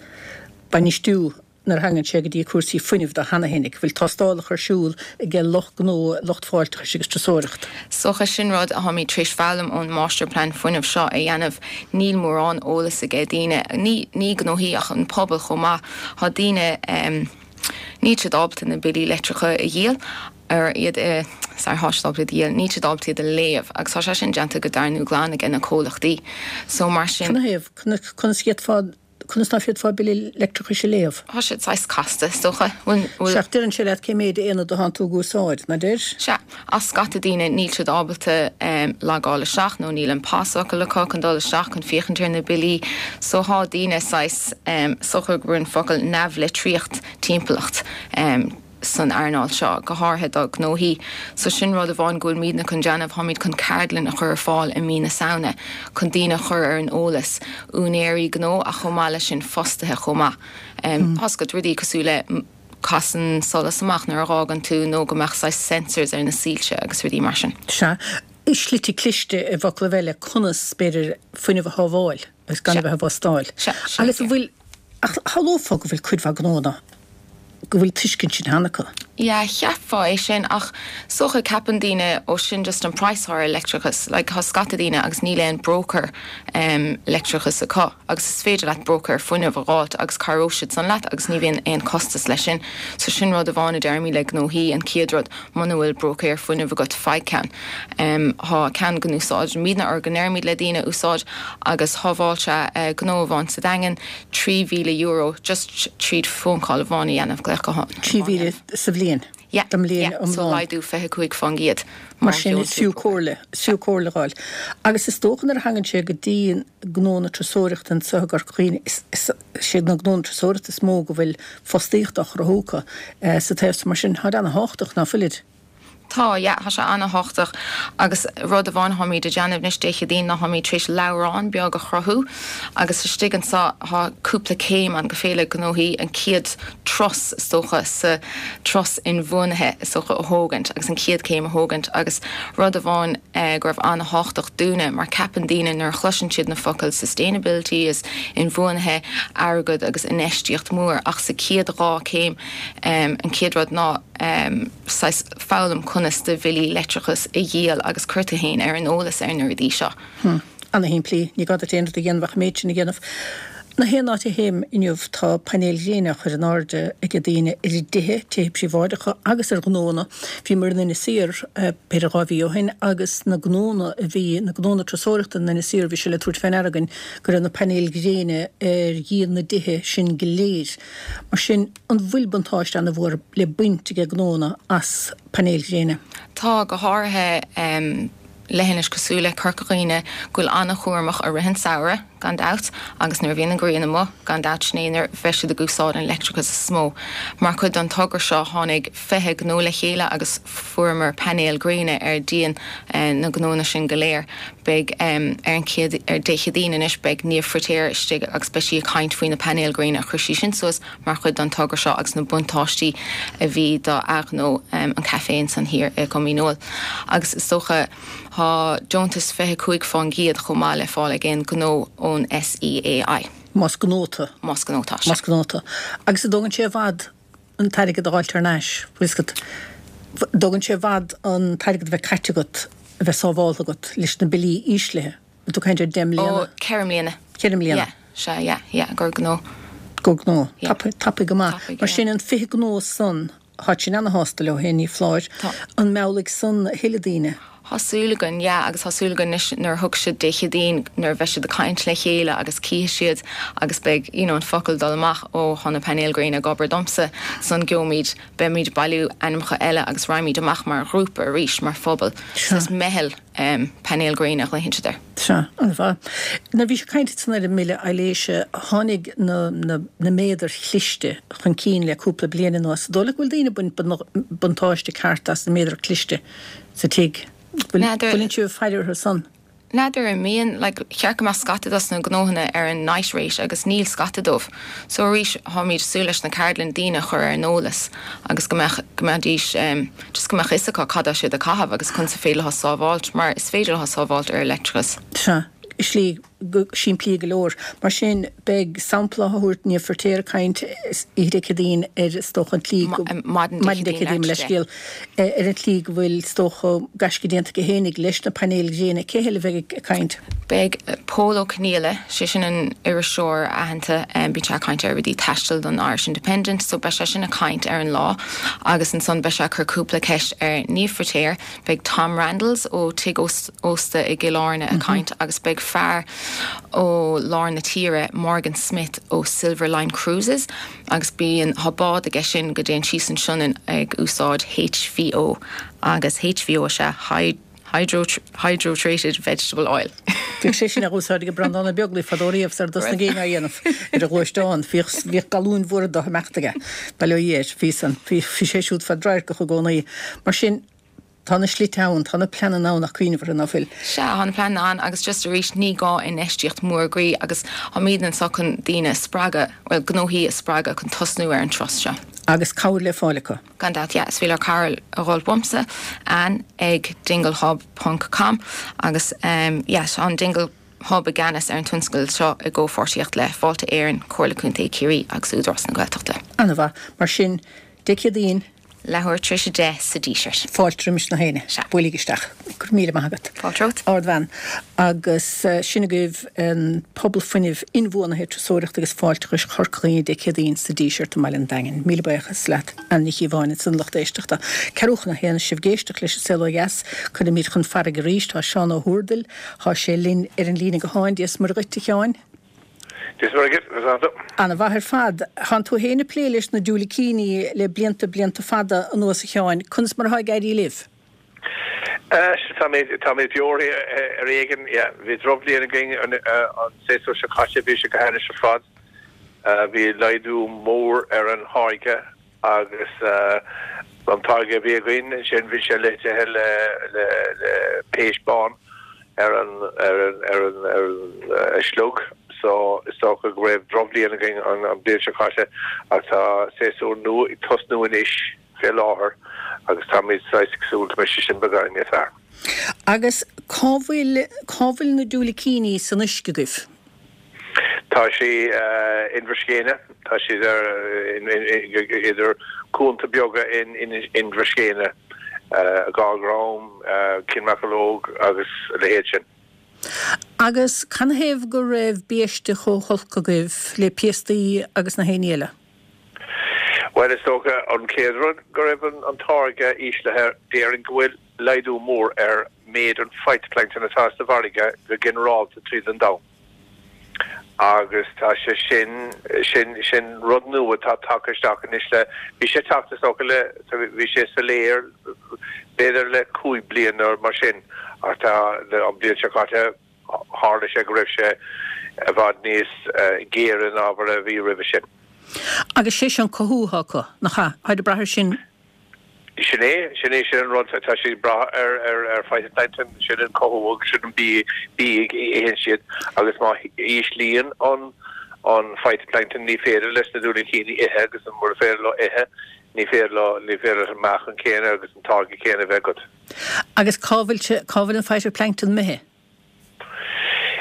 bainistiú nuair a thagann sé go dtí cúrsaí fuinnimh de cheana fhéinig, bhfuil tástálacha ar siúl aige lucht gnó, lucht fáilteachais agus turasóireacht. Is dócha sin rud atáimid tar éis foghlaim ón Máistirphlean Fuinnimh seo a dhéanamh, níl mórán eolas aige daoine, ní ní gnóthaí ach an pobal chomh maith, tá daoine níl siad ábalta na billí leictreacha a dhíol, ar iad a, sorry, thá siad ábalta iad a dhíol, níl siad ábalta iad a léamh agus tá sé sin déanta go dorn glan aige na comhlachtaí so mar sin. Canathaobh? Conas a d'fhéadfá Conas ná féadfá bille leictreachais a léamh? Tá siad saghas casta, is dócha. Bhfuil, bhfuil. Sea, ach deireann sé leat cé méid aonad atánn tú ag úsáid, ná deir? Sea. Ach scata daoine, níl siad ábalta logáil isteach nó níl an pasfhocal acu chun dul isteach chun féachaint ar na billí. So thá daoine saghas, is dócha gurb an focal neamhlitríocht timpeallacht. san earnáil seo, go háirithe do ghnóthaí. So sin rud amháin go bhfuilmídne chun déanamh, táimid chun ceardlann a chur ar fáil i mí na Samhna chun daoine a chur ar an eolas, úinéirí gnó ach chomh maith leis sin fostaithe chomh maith. Tá's agat, rudaí cosúil le casann solas amach nuair a dh'fhágann tú nó go mbeadh saghas sensors ar na soilse agus rudaí mar sin. Sea, slite cliste i bhfoclaibh eile conas, b'fhéidir, fuinneamh a shábháil agus gan a bheith ag wastáil. Sea, sin Agus an bhfuil, ach shamhlófá go bhfuil cuid mhaith gnónna go bhfuil tuiscint sin cheana acu. Yeah, cheapfá é sin ach is dócha ceapann daoine ó sin just an praghas atá ar leictreachas, like tá scata daoine agus níl aon broker em leictreachas acu agus is féidir leat broker fuinnimh a dh'fháilt agus cabhróidh siad san leat agus ní bhíonn aon costas leis sin. So sin rud amháin a deirimid le gnóthaí, an chéad rud muna bhfuil broker fuinnimh agat faigh ceann. Em thá ceann go n-úsáidimidne or go ndeirimid le daoine a úsáid agus shábháil sé gnó amháin sa Daingean, €3,000 just tríd phone call amháin a dhéanamh, glaoch gutháin amháin a dhéanamh. 3,000 sa bhliain? Yeah, Don mbliain yeah, so iomlán. laghdú 25%. Mar sin is fiú comhairle, is fiú comhairle a dh'fháil. Agus is dócha nuair a thagann sé go dtí gnó na turasóireachta anseo i gCorca Dhuibhne, is, is, is iad na gnónna turasóireachta is mó go bhfuil fostaíocht á chruthú acu sa taobh so mar sin táid ana-thábhachtach, ná fuilid? Tá, yeah, tá sé ana-thábhachtach agus rud amháin tháimid a déanamh anois Dé Céadaoin ná tháimid tar éis leabhrán beag a chruthú agus istigh anso tá cúpla céim ann go féidir le gnóthaí an chéad turas is dócha sa turas inbhuanaithe is dócha a thógaint agus an chéad chéim a thógaint agus rud amháin go raibh ana-thábhachtach dúinne mar ceapann daoine nuair a chloiseann siad na focail sustainability is inbhuanaithe airgead agus infheistíocht mór ach sa chéad dhá céim an chéad rud ná saghas foghlaim conas do bhillí leictreachais a dhíol agus cuir tú fhéin ar an eolas ar na rudaí seo. Hm. Ana-shimplí. Ní gá duit aon rud a dhéanamh ach an méid sin a dhéanamh. Na haon áit a théim inniu tá painéil ghréine á chur in airde ag daoine ar a dtithe, tithe príobháideacha agus ar ghnóanna. Bhíomar in Inis Oírr b'fhéidir 2 mhí ó shin agus na gnónna a bhí, na gnónna turasóireachta in Inis Oírr, bhí sé le tabhairt fé ndeara againn go raibh na painéil ghréine ar dhíon na dtithe sin go léir. Mar sin, an bhfuil buntáiste ana-mhór le baint ag gnónna as painéil ghréine? Tá, go háirithe leithinis cosúil le Corca Dhuibhne, go bhfuil ana-chúramach i rith an samhradh, gan dabht, agus nuair a bhíonn an ghrian amuigh, gan dabht, sin é nuair a bheidh siad ag úsáid an leictreachas is mó. Mar chuid den togra seo, tháinig 20 gnó le chéile agus fuaireamar painéil ghréine ar dhíon na ngnónna sin go léir. Beidh ar an chéad, ar Dé Céadaoin anois, beidh Niamh Feiritéar istigh agus beidh sí ag caint faoi na painéil ghréine a chuir sí sin suas mar chuid den togra seo agus na buntáistí a bhí do a ghnó, an caifé ansan thiar i gCom Dhíneol. Agus is dócha thá deontas 25% chomh maith le fáil ag aon ghnó ón SEAI. Más gnó tú. Más gnó tá, sea. Más gnó tú. Agus an dtógann sé i bhfad an t-airgead a dh'fháilt thar n-ais, bhfuil 'fhios agat. Dtógann sé i bhfad an t-airgead a bheith caite agat, a bheith sábháltha agat leis na billí íslithe. Bhfuil tú ag caint ar 10 mbliana? Ó, 4 mbliana. 4 mbliana. Yeah, sea, yeah, yeah, gur gnó. Gur gnó. Yeah. Tapaidh, tapaidh go maith. Tapaidh, Mar yeah. sin an 20 gnó san, tháid sin ana-shásta leo féin, ní foláir. Tá. An meallfaidh san a thuilleadh daoine? Tá súil againn, yeah, agus tá súil againn anois nuair a thiocfaidh siad Dé Céadaoin, nuair a bheidh siad ag caint le chéile agus cífidh siad agus beidh, you know, an focal ag dul amach, ó, tá na painéil gréine ag obair domsa, san gheobhaimid, beimid ag bailiú ainmneacha eile agus raghaimid amach mar ghrúpa arís, mar phobal. Sea. Is meitheal em painéil gréine a ghlaonn siad air. Sea, an-mhaith. Nuair a bhí sibh ag caint ansan ar an mbille aibhléise, tháinig na, na, na méadair chliste chun cinn le cúpla bliain anuas. An dóigh leat go bhfuil daoine ag baint buntáiste ceart as na méadair chliste? sa tigh. Bhfuileann sibh ag faire orthu san? N'fheadar an mbíonn, like, cheart go mbeadh scata dos na gnóthanna ar an night rate agus níl scata dóibh. So arís, táimid ag súil leis na ceardlann daoine a chur ar an eolas agus go mbeadh, go mbeidís, em, just go mbeadh fhios acu cad tá siad ag caitheamh agus conas is féidir leo sábháilt mar is féidir leo sábháilt ar leictreachas. Sea, slí go simplí go leor. Mar sin, beidh sampla á thabhairt, Niamh Feirtéar ag caint oíche Dé Céadaoin ar, is dócha, an tslí go, maidin Dé Céadaoin, mo leithscéal, ar an tslí go bhfuil, is dócha, gaisce déanta aici fhéinig leis na painéil ghréine. Cé heile a bheidh ag caint? Beidh Pól Ó Conghaile, sé sin an iriseoir aitheanta, bíonn sé ag caint ar rudaí taistil don Irish Independent, so beidh sé sin ag caint ar an lá agus ansan beidh sé ag cur cúpla ceist ar Niamh Feirtéar, Beidh Tom Randles ó Tigh Ósta i gCill Airne ag caint agus beidh fear ó lár na tíre, Morgan Smith ó Silver Line Cruises agus bíonn, tá bád aige sin go dtéann síos an Sionainn ag úsáid HVO agus HVO is ea Hydro Hydrotreated Vegetable Oil. Bhíodh sé sin á úsáid ag Breandán Ó Beaglaoich fadó riamh sar a dtosnaigh éinne á dhéanamh ar a ghluaisteán. Bhíodh, bhíodh galúin mhóra de ag imeacht aige. Bail ó Dhia air. Bhí san, bhí, bhí sé siúd fadradharcach i gcónaí. Mar sin, tá na slite ann, tá na pleananna ann ach cuimhneamh orthu, ná fuil? Sea, tá na pleananna ann agus just arís ní gá infheistíocht mhór groí agus táimid anseo chun daoine a spreagadh, bhuel gnóthaí a spreagadh chun tosnú ar an turas seo. Agus cabhair le fáil acu. Gan dabht, yeah, is féidir leo cabhair a dhul uaimse, Anne ag dinglehub ponc com agus yeah, tá an Dingle Hub i gceannas ar an tionscadal seo i gcomhpháirtíocht le Fáilte Éireann, Comhairle Contae Chiarraí agus Údarás na Gaeltachta. An-mhaith. Mar sin, Dé Céadaoin. Leathuair tar éis 10 sa Díseart. Fáilte roimis na héinne. Sea. Buailigí isteach. Go raibh míle maith agat. Fáilte romhat. Ardbhean. Agus sin agaibh an Pobal Fuinnimh Inbhuanaithe, Turasóireachta agus Fáilteachais Chorca Dhuibhne Dé Céadaoin sa Díseart i mBaile an Daingin. Míle buíochas leat Anne Nic Chíobháin ansan lucht éisteachta. Ceathrú chun a haon sibh ag éisteacht leis an Saol Ó Dheas. Cuirfimid chun farraige arís. Tá Seán Ó hÚrdail, tá sé linn ar an líne gutháin. Dia is Muire dhuit, a Sheáin. Dia is Muire dhuit, conas tánn tú? Ana mhaith ar fad. Thánn tú fhéin ag plé leis na diúilicíní le blianta blianta fada anuas a Sheáin. Conas mar atá ag éirí libh? Táimid, táimid beo ar éigean, yeah. Bhí drochbhliain againn an séasúr seo caite, bhí sé go hainnis ar fad. Bhí laghdú mór ar an tháirge agus an táirge a bhí againn ansin bhí sé leithdithe le le le péist bán ar an ar an ar an ar an sliog so is dócha go raibh drochbhliain againn an an bhliain seo caite ach tá séasúr nua ag tosnú anois fé láthair agus táimid saghas ag súil go mbeidh sé sin beagán níos fearr. Agus cá bhfuil cá bhfuil na diúilicíní san uisce agaibh? Tá sí Inbhir Scéine, tá siad ar idir cuanta beaga in Inbhir Scéine, Dhá Dhrom, Cionn Mheancalóg agus a leithéid sin. Agus canathaobh go raibh biaiste chomh holc agaibh le piastaí agus na héinní eile? Bhuel, is dócha an chéad rud go raibh an táirge íslithe, déarfainn go bhfuil laghdú mór ar méid an phytoplankton atá sa bhfarraige go ginearálta tríd an domhan agus tá sé sin, sin, sin rud nua atá tagtha isteach anois le, bhí sé ag teacht is dócha le, bhí sé soiléir b'fhéidir le 5 bliana nó mar sin ach tá an bhliain seo caite tharla sé go raibh sé i bhfad níos géire ná mar a bhí roimhe sin. Agus sé seo an cothú atá acu, nach ea? Táid ag brath air sin. Sin é, sin é, sin an rud, tá siad ag brath ar, ar, ar phytoplankton, sin an cothú agus sin an bia, bia a itheann siad agus má íslíonn an, an phytoplankton ní féidir leis na diúilicíní ithe agus mura féidir leo ithe, ní féidir leo, ní féidir leis an meáchan céanna agus an táirge céanna a bheith agat. Agus cá bhfuil sé, cá bhfuil an phytoplankton imithe?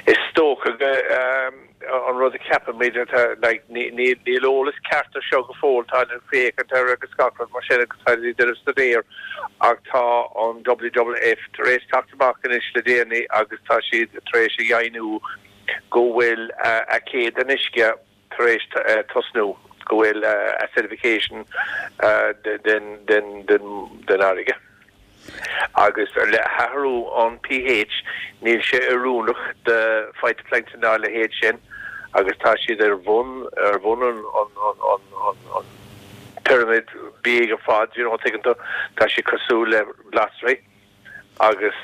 Is dócha go an rud a cheapaimid atá like níl níl eolas ceart ar seo go fóill, tá ag féachaint air agus gach rud mar sin agus tá ag déanamh staidéir ach tá an WWF tar éis teacht amach anois le déanaí agus tá siad tar éis a dheimhniú go bhfuil aicéad an uisce tar éis tosnú, go bhfuil acidification den den den den fharraige. Agus le hathrú an pH níl sé oiriúnach do phytoplankton dá leithéid sin agus tá siad ar bhun ar bhun an an an an an pyramid bídh ar fad, you know, tuigeann tú, tá siad cosúil le glasraí agus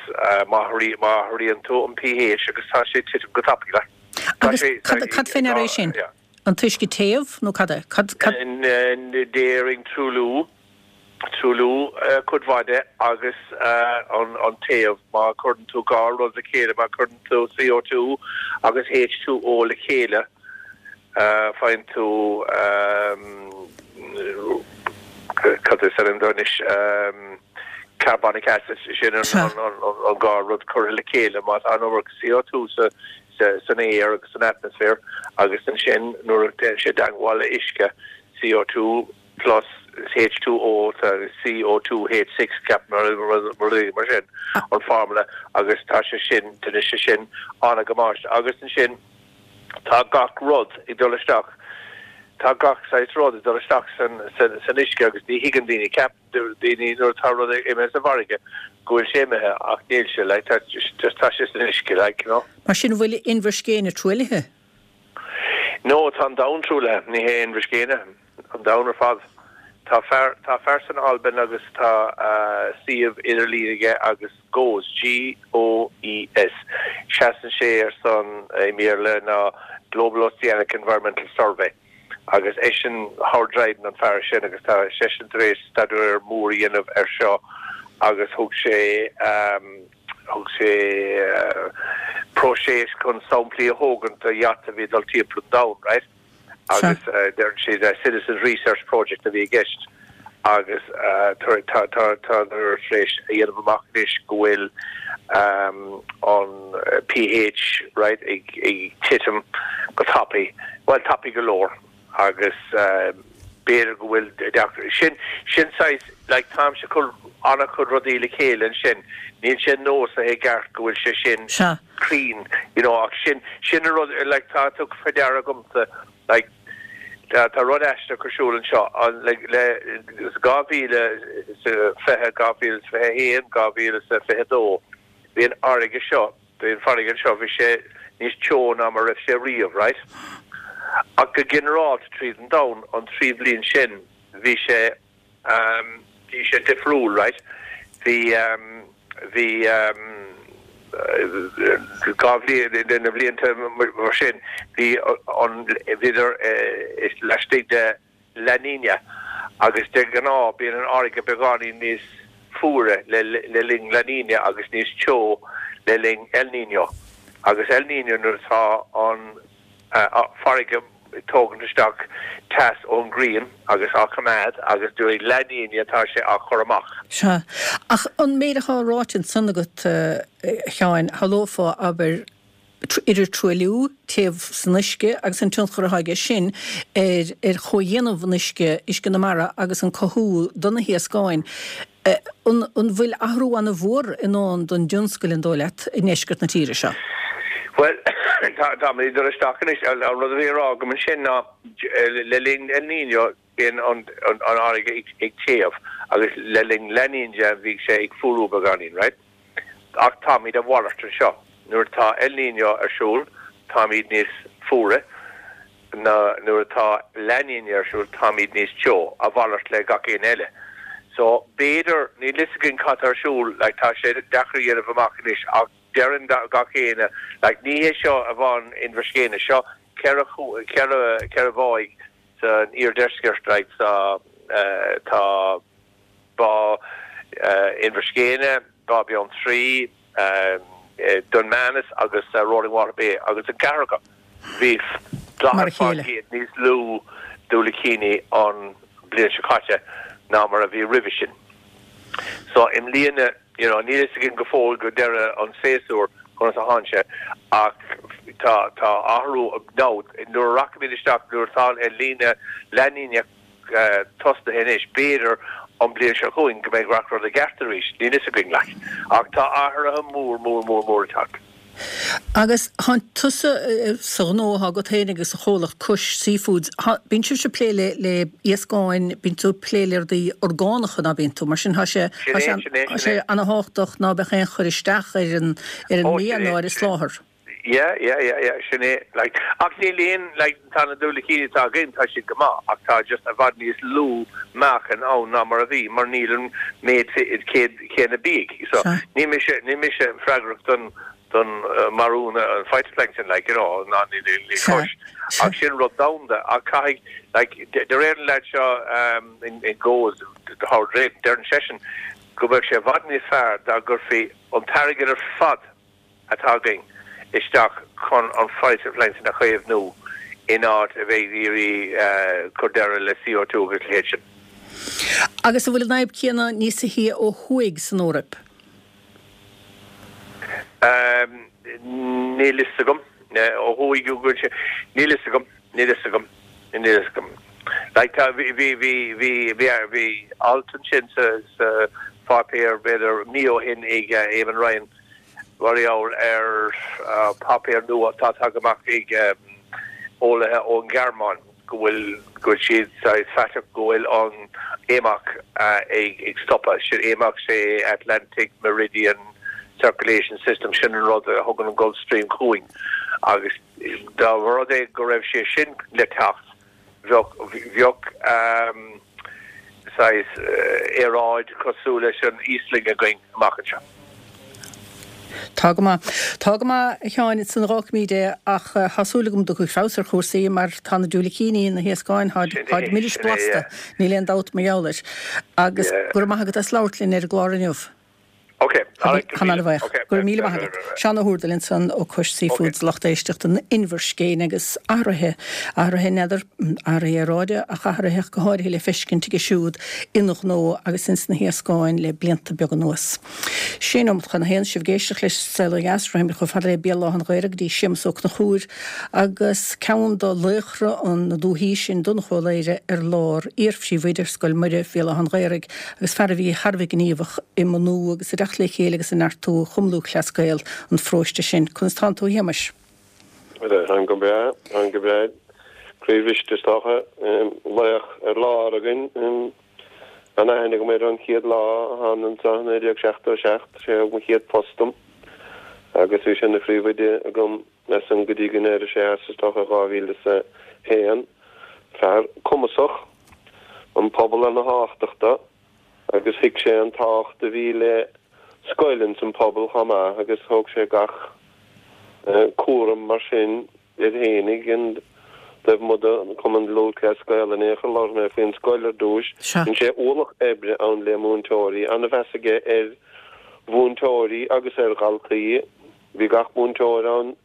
má má athraíonn tú an pH agus tá sé ag titim go tapaidh like. Tá Agus sé cad cad fé ndeara é sin? yeah. An t-uisce téamh nó cad é? Cad cad. Déarfainn truailliú. Truailliú cuid mhaith de agus an téamh. Má chuireann tú dhá rud le chéile, má chuireann tú CO2 agus H2O le chéile, faigheann tú, cad is ainm dó anois, carbonic acid, sin an dhá rud curtha le chéile. Má tá an iomarca CO2 san aer agus san atmaisféar agus ansin nuair a dhéanann sé dteangmháil le uisce, CO2, plus H2O tá CO2 H6 ceapaim nó rud mar sin an formula agus tá sé sin déanann sé sin an-damáiste agus ansin tá gach rud ag dul isteach tá gach saghas rud ag dul isteach san san san uisce agus ní thuigeann daoine ceapann daoine nuair atá rud imithe sa bhfarraige go bhfuil sé imithe ach níl sé like tá just tá sé san uisce like you know. Mar sin an bhfuil Inbhir Scéine truaillithe? No tá an domhan truaillithe ní hé Inbhir Scéine. An domhan ar fad. Tá fear, tá fear san Albain agus tá suíomh idirlín aige agus GOES, G-O-E-S, seasann sé ar son, i mBéarla, ná Global Oceanic Environmental Survey agus eisean, Howard Dryden an fear sin agus tá seisean tar éis staidéar mór a dhéanamh ar seo agus thug sé, thug sé próiseas chun samplaí a thógaint de yacht a bhí ag dul timpeall an domhain, right? agus deireann siad Citizens Research Project a bhí i gceist agus tádar tar éis a dhéanamh amach anois go bhfuil an pH right ag titim go tapaidh, bhuel tapaidh go leor agus b'fhéidir go bhfuil deacracht, sin sin saghas like táimse ag cur an-chuid rudaí le chéile ansin, níl sé nósaithe i gceart go bhfuil sé sin Sea. cruinn, you know, ach sin, sin an rud, like, tá tugtha faoi deara agamsa, like, tá, tá rud aisteach ar siúl anseo, an, like, le, 2020, 2021, 2022, bhí an fharraige seo, bhí an farraige anseo, bhí sé níos teo ná mar a raibh sé riamh, right? Ach go ginearálta tríd an domhan, an trí bhliain sin, bhí sé, Bhí sé difriúil, right? Bhí, bhí, 2 bhliain, na blianta mar sin, bhí an, bhíodar laistigh de La Niña agus de ghnáth bíonn an fharraige beagáinín níos fuaire le linn La Niña agus níos teo le linn El Niño. Agus El Niño nuair atá an farraige ag tógaint isteach teas ón ngrian agus á choimeád agus during La Niña tá sé á chur amach. Sea. Ach an méid atá ráite ansan agat, a Sheáin, shamhlófá, abair, idir truailliú, téamh san uisce agus an tionchar atá aige sin ar ar chomhdhéanamh an uisce, uisce na mara agus an cothú do na hiascáin. An bhfuil athrú ana-mhór i ndán don dtionscal, an dóigh leat, i ndeisceart na tíre seo? Bhuel, táimid ag dul isteach anois. An rud a bhí á rá agam ansin ná le linn El Niño bíonn an fharraige ag téamh agus le linn La Niña bhíodh sé ag fuarú beagáinín, right? Ach táimid a mhalairt anseo. Nuair atá El Niño ar siúl, táimid níos fuaire ná nuair atá La Niña ar siúl, táimid níos teo, a mhalairt le gach éinne eile. So, b'fhéidir, níl fhios againn cad tá ar siúl, like, tá sé deacair a dhéanamh amach anois ach deireann gach éinne, like, ní hé seo amháin Inbhir Scéine, seo 4, 4, 4 bháigh san iardheisceart, like, tá, tá, Bá Inbhir Scéine, Bá Beanntraí, Dún Manas agus Roaringwater Bay agus an ceathrar acu bhí 40% níos lú diúilicíní an bhliain seo caite ná mar a bhí roimhe sin. So i mbliana, you know, níl fhios againn go fóill go deireadh an tséasúir conas a thánn sé ach tá tá athrú now nuair a rachaimid isteach nuair atá an El Niño La Niña tosnaithe anois. B'fhéidir an bliain seo chugainn go mbeidh gach rud i gceart arís, níl fhios againn like. Ach tá athruithe mór, mór, mór, mór ag teacht. Agus thánn tusa sa ghnó atá agat féin agus sa chomhlacht Cois Seafoods, bíonn sibhse ag plé le le iascáin, bíonn tú ag plé le rudaí orgánacha ná bíonn tú? Mar sin tá sé tá sé tá sé ana-thábhachtach ná beadh aon chur isteach ar an ar an mbia ná ar an soláthar. Yeah, yeah, yeah, yeah, sin é, like, ach níl aon, like, tá na diúilicíní atá againn, tá siad go maith, ach tá just i bhfad níos lú meáchain ann ná mar a bhí, mar níl an méid céanna bídh. So, níl mise, níl mise freagrach don, don marú na, an phytoplankton, like, you know, ná níl, níl Cois. Ach sin rud domhanda, ach caithfidh, like, de réir an leaid seo, in, in Goes, Howard Drayton, deireann seisean go mbeadh sé i bhfad níos fearr dá gcuirfí an t-airgead ar fad atá againn isteach chun an phytoplankton a chaomhnú in áit a bheith ag iarraidh cur deireadh le CO2 agus a leithéid sin. Agus an bhfuil an fhadhb céanna níos sia ó thuaidh san Eoraip? Níl fhios agam. Ó thuaidh go bhfuil sé. Níl fhios agam. Níl fhios agam. Níl fhios agam. Like tá, bhí, bhí, bhí, bhí, bhí, bhí alt ansin sa, sa pháipéar b'fhéidir mí ó shin ag Eamon Ryan mar gheall ar páipéar nua atá tagtha amach ag eolaithe ón Ghearmáin go bhfuil go bhfuil siad saghas faiteach go bhfuil an AMOC ag ag stopadh. Sin AMOC sé Atlantic Meridian Circulation System, sin an rud a thugann an Gulf Stream chugainn agus dá mba rud é go raibh sé sin le teacht bheadh bheadh saghas aeráid cosúil leis an Íoslainn againn amach anseo. Tá go maith. Tá go maith, a Sheáin, ansan fágfaimid é ach tá súil agam go dtiocfaidh feabhas ar chúrsaí mar tá na diúilicíní, na hiascáin, táid milis blasta, níl aon dabht mar gheall air. Agus go raibh maith agat as labhairt linn ar an gclár inniu. Ok, alright, go raibh míle. Ok, Go raibh míle maith agat. Seán Ó hÚrdail ansan ó Cois Seafoods, lucht éisteachta an Inbhir Scéine agus athruithe, athruithe n'fheadar, athruithe aeráide ach athruithe go háirithe le feiscint aige siúd ina ghnó agus ins na hiascáin le blianta beaga anuas. Sé nóimeat chun a haon, sibh ag éisteacht leis an Saol Ó Dheas, rachaimid chomh fada le Béal Átha an Ghaorthaidh go dtí Séamus Ó Conchúir agus ceann de laochra na dúthaí sin, Donnchadh Ó Laoire ar lár, iar-phríomhoide ar Scoil Muire, Bhéal Átha an Ghaorthaidh. agus fear a bhí thar a bheith gníomhach i mbunú agus i dteacht le chéile agus i neartú Chumann Lúthchleas Gael an pharóiste sin. Conas tánn tú a Shéamais? Táim go breá, táim go breá. Croíbhriste is dócha, laoch ar lár againn. An-aithne agam air ón chéad lá a thána anseo i 1977, sé a thug mo chéad phost dom agus bhí sé ina phríomhoide agam as san go dtí go n-éirigh sé as is dócha 2001. Fear cumasach, an pobal ana thábhachtach dó agus thuig sé an tábhacht a bhí le scoil ins an pobal chomh maith agus thóg sé gach cúram mar sin air fhéinig and taobh amuigh de Cumann Lúthchleas Gael in aon chor labhair mé faoin scoil ar dtúis. Dhein sé ualach oibre ann le múinteoirí, ana-mheas aige ar mhúinteoirí agus ar dhaltaí. Bhí gach múinteoir ann,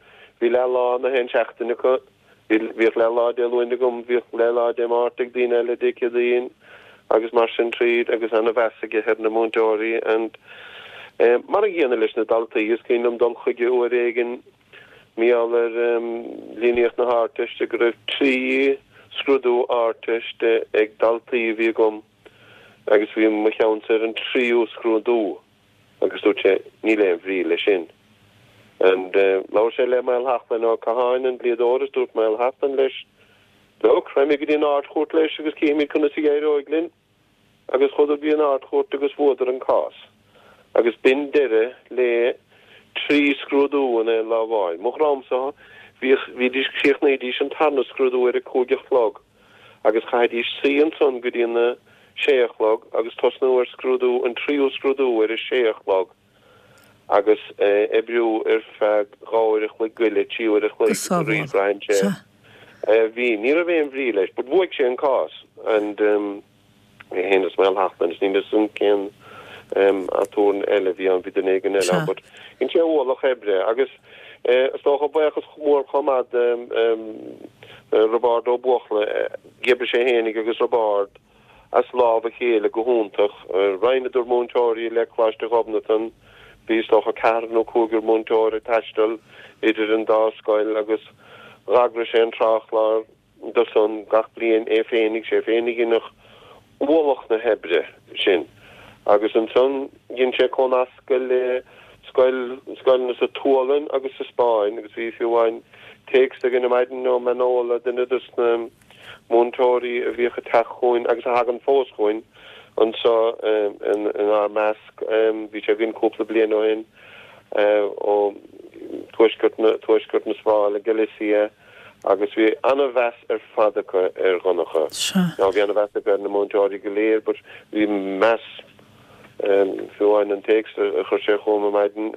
bhí leath lá na haon seachtain acu, bhíodh leath lá Dé Luain agam, bhíodh leath lá Dé Máirt ag daoine eile Dé Céadaoin agus mar sin tríd agus ana-mheas aige ar na múinteoirí and mar an gcéanna leis na daltaí. Is cuimhin liom dul chuige uair éigin mar gheall ar líníocht na hArdteiste go raibh 3 scrúdú Ardteiste ag daltaí a bhí agam agus bhí mo cheannsa ar an tríú scrúdú. Agus dúirt sé, Níl aon bhrí leis sin. And labhair sé le Maolsheachlainn Ó Catháin, an dlíodóir, is dúirt Maolsheachlainn leis, Look, raghaimid go dtí an Ard-Chúirt leis agus cífimid conas a éireoidh linn. Agus chuadar go dtí an Ard-Chúirt agus bhuadar an cás. Agus b'in deireadh le 3 scrúdú in aon lá amháin. Mo dhroimse, bhíodh, bhídís, chríochnaídís an tarna scrúdú ar a cúig a chlog. agus chaithfidís suí ansan go dtí na sé a chlog agus tosnú ar scrúdú, an tríú scrúdú ar a sé a chlog agus oibriú ar feadh 2 uair a chloig eile, 3 uair a Go chloig sábhála. arís braitheann sé. Sea. Bhí, ní raibh aon bhrí leis, but bhuaigh sé an cás and é féin is Maolsheachlainn is níl a fhios agam cén aturnae eile a bhí ann, bhí duine éigin eile ann but dhein sé ualach oibre agus is dócha buíochas mór chomh maith do Roibeárd Ó Buachalla, d'oibrigh sé fhéinig agus Roibeárd as lámh a chéile go hiontach. Roinneadar múinteoirí le Coláiste Ghobnatan, bhí is dócha ceathrar nó cúigear múinteoir ag taisteal idir an dá scoil agus d'eagraigh sé an tráthchlár dó san gach bliain é féinig, sé féinig a dheineadh ualach na hoibre sin. Agus ansan dhein sé comhnascadh le. scoil, scoileanna sa tSualainn agus sa Spáinn agus bhí fiú amháin téacs againn ar maidin ó Manola, duine dos na múinteoirí a bhíodh ag teacht chugainn agus a thagann fós chugainn anseo inár measc. Bhí sé againn cúpla bliain ó shin ó tuaisceart na, tuaisceart na Spáinne, Galicia, agus bhí an-mheas ar fad acu ar Dhonncha. Now bhí an-mheas acu ar na múinteoirí go léir but bhí meas Fiú amháin an téacs a chuir sé chugam ar maidin,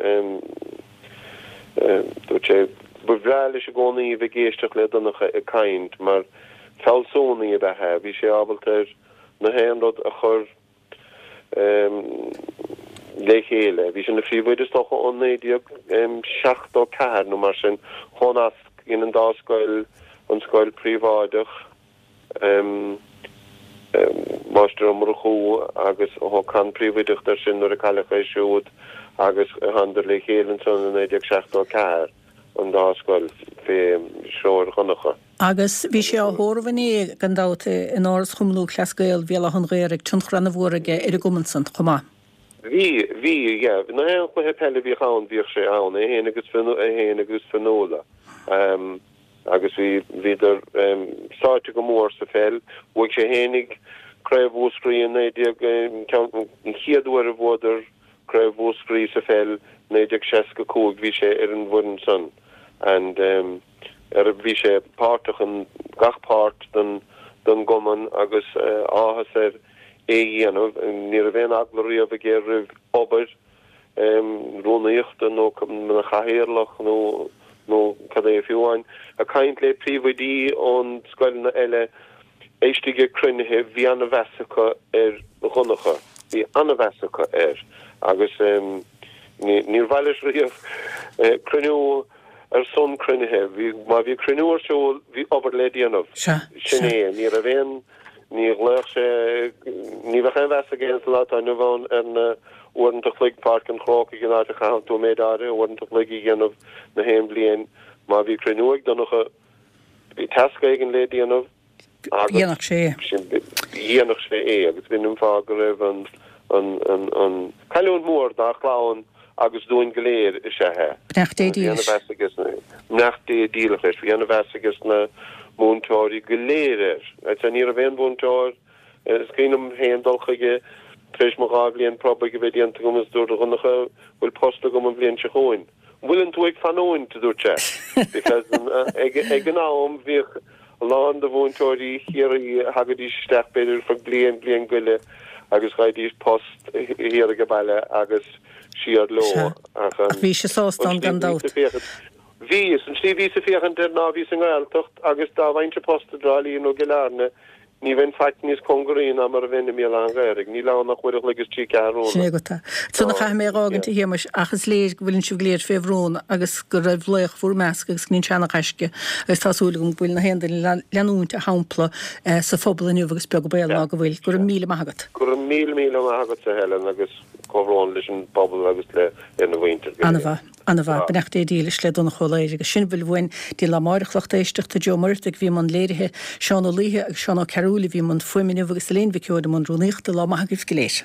dúirt sé, ba bhreá leis i gcónaí a bheith ag éisteacht le Donncha ag caint mar fealsúnaí ab ea é, bhí sé ábalta ar na haon rud a chur le chéile. Bhí sé ina phríomhoide is dócha ó 1974 nó mar sin, chomhnasc dhein an dá scoil, an scoil príobháideach, Máistir Ó Murchú agus thóg Con príomhoideacht air sin nuair a cailleadh é siúd agus thánadar le chéile ansan i 1974, an dá scoil, fé threoir Dhonncha. Agus bhí sé á thórramh inné, gan dabht, in Áras Chumann Lúthchleas Gael Bhéal Átha an Ghaorthaidh, tionchar ana-mhór aige ar an gcumann san chomh maith. Bhí, bhí, yeah. Na haon chluiche peile a bhíodh ann, bhíodh sé ann, é féin agus, é féin agus Fionnuala. Agus bhí, bhíodar sáite go mór sa pheil. Bhuaigh sé fhéinig Craobh Mhúscraí i 19, ceann, an chéad uair a bhuadar Craobh Mhúscraí sa pheil, 1965, bhí sé ar an bhfoireann san and ar, bhí sé páirteach in gach páirt den, den gcumann agus áthas air é a dhéanamh. Ní raibh aon eagla riamh aige roimh obair. rúnaíochta nó ina chathaoirleach nó nó cad é fiú amháin. Ag caint le príomhoidí ón scoileanna eile istigh ag cruinnithe bhí ana-mheas acu ar Dhonncha, bhí ana-mheas acu air agus ní níor mhaith leis riamh cruinniú ar son cruinnithe. Bhí má bhí cruinniú ar siúl bhí obair le déanamh. Sin é, ní raibh aon Ní ghlaofadh sé, ní bheadh aon mheas aige sa lá atá inniu ann ar na uaireanta chloig Páirc an Chrócaigh an áit a chaitheann tú méid áirithe uaireanta chloig a dhéanamh na haon bhliain. Má bhí cruinniú ag Donncha, bhí tasc éigin le déanamh agus Dhéanfadh sé é. dhéanfadh sé é agus b'in an fáth go raibh an, an, an, an cailliúint mhór dá chlann agus dúinn go léir is ea é. Beannacht Dé Bhí ana-mheas aige Beannacht Dé dílis leis. Bhí ana-mheas aige na múinteoirí go léir air. I'd say ní raibh aon mhúinteoir, is cuimhin liom féin dul chuige tar éis mo dhá bhliain promhaidh a bheith déanta agam is dúirt a Dhonncha, bhfuil post agam an bhliain seo chugainn. An bhfuileann tú ag fanúint, a dúirt sé. Because ag ag an am bhíodh a lán de mhúinteoirí Chiarraí a thagaidís isteach b'fhéidir for bliain, bliain go leith agus gheibhidís post thiar age baile agus siar leo. Sea. Ach an Ach bhí sé sásta ann gan dabht. Bhí, is an tslí a bhíos ag féachaint air ná bhíos i nGaeltacht agus dá bhfaighinnse post i dTrá Lí nó i gCill Airne ní bheinn faic níos cóngaraí ná mar a bheinn i mBéal Átha an Ghaorthaidh. Níl ann ach uair a chloig is trí ceathrúna. Sin é agat é. Ansan a chaithfidh mé a dh'fhágaint a Shéamais ach is léir go bhfuileann sibh go léir fé bhrón agus go raibh laoch bhur measc agus go ndéan sé ana-ghaisce agus tá súil agam go bhfuil na haon duine leanúint a shampla sa phobal inniu agus beag an baol ná go bhfuil. Go raibh míle maith agat. Go raibh míle míle maith agatsa Helen agus comhbhrón leis an bpobal agus le lena mhuintir go léir. Ana-mhaith. Ana-mhaith. Beannacht Dé dílis le Donncha Ó Laoghaire agus sin a bhfuil uainn dtí lá amáireach lucht éisteachta, Joe Muireadhtaigh a bhí i mbun léirithe, Seán Ó Laoithe agus Seán Ó Cearúil a bhí i mbun fuaime inniu agus Elaine Mhic Eoin i mbun rúnaíochta. Lá maith agaibh go léir.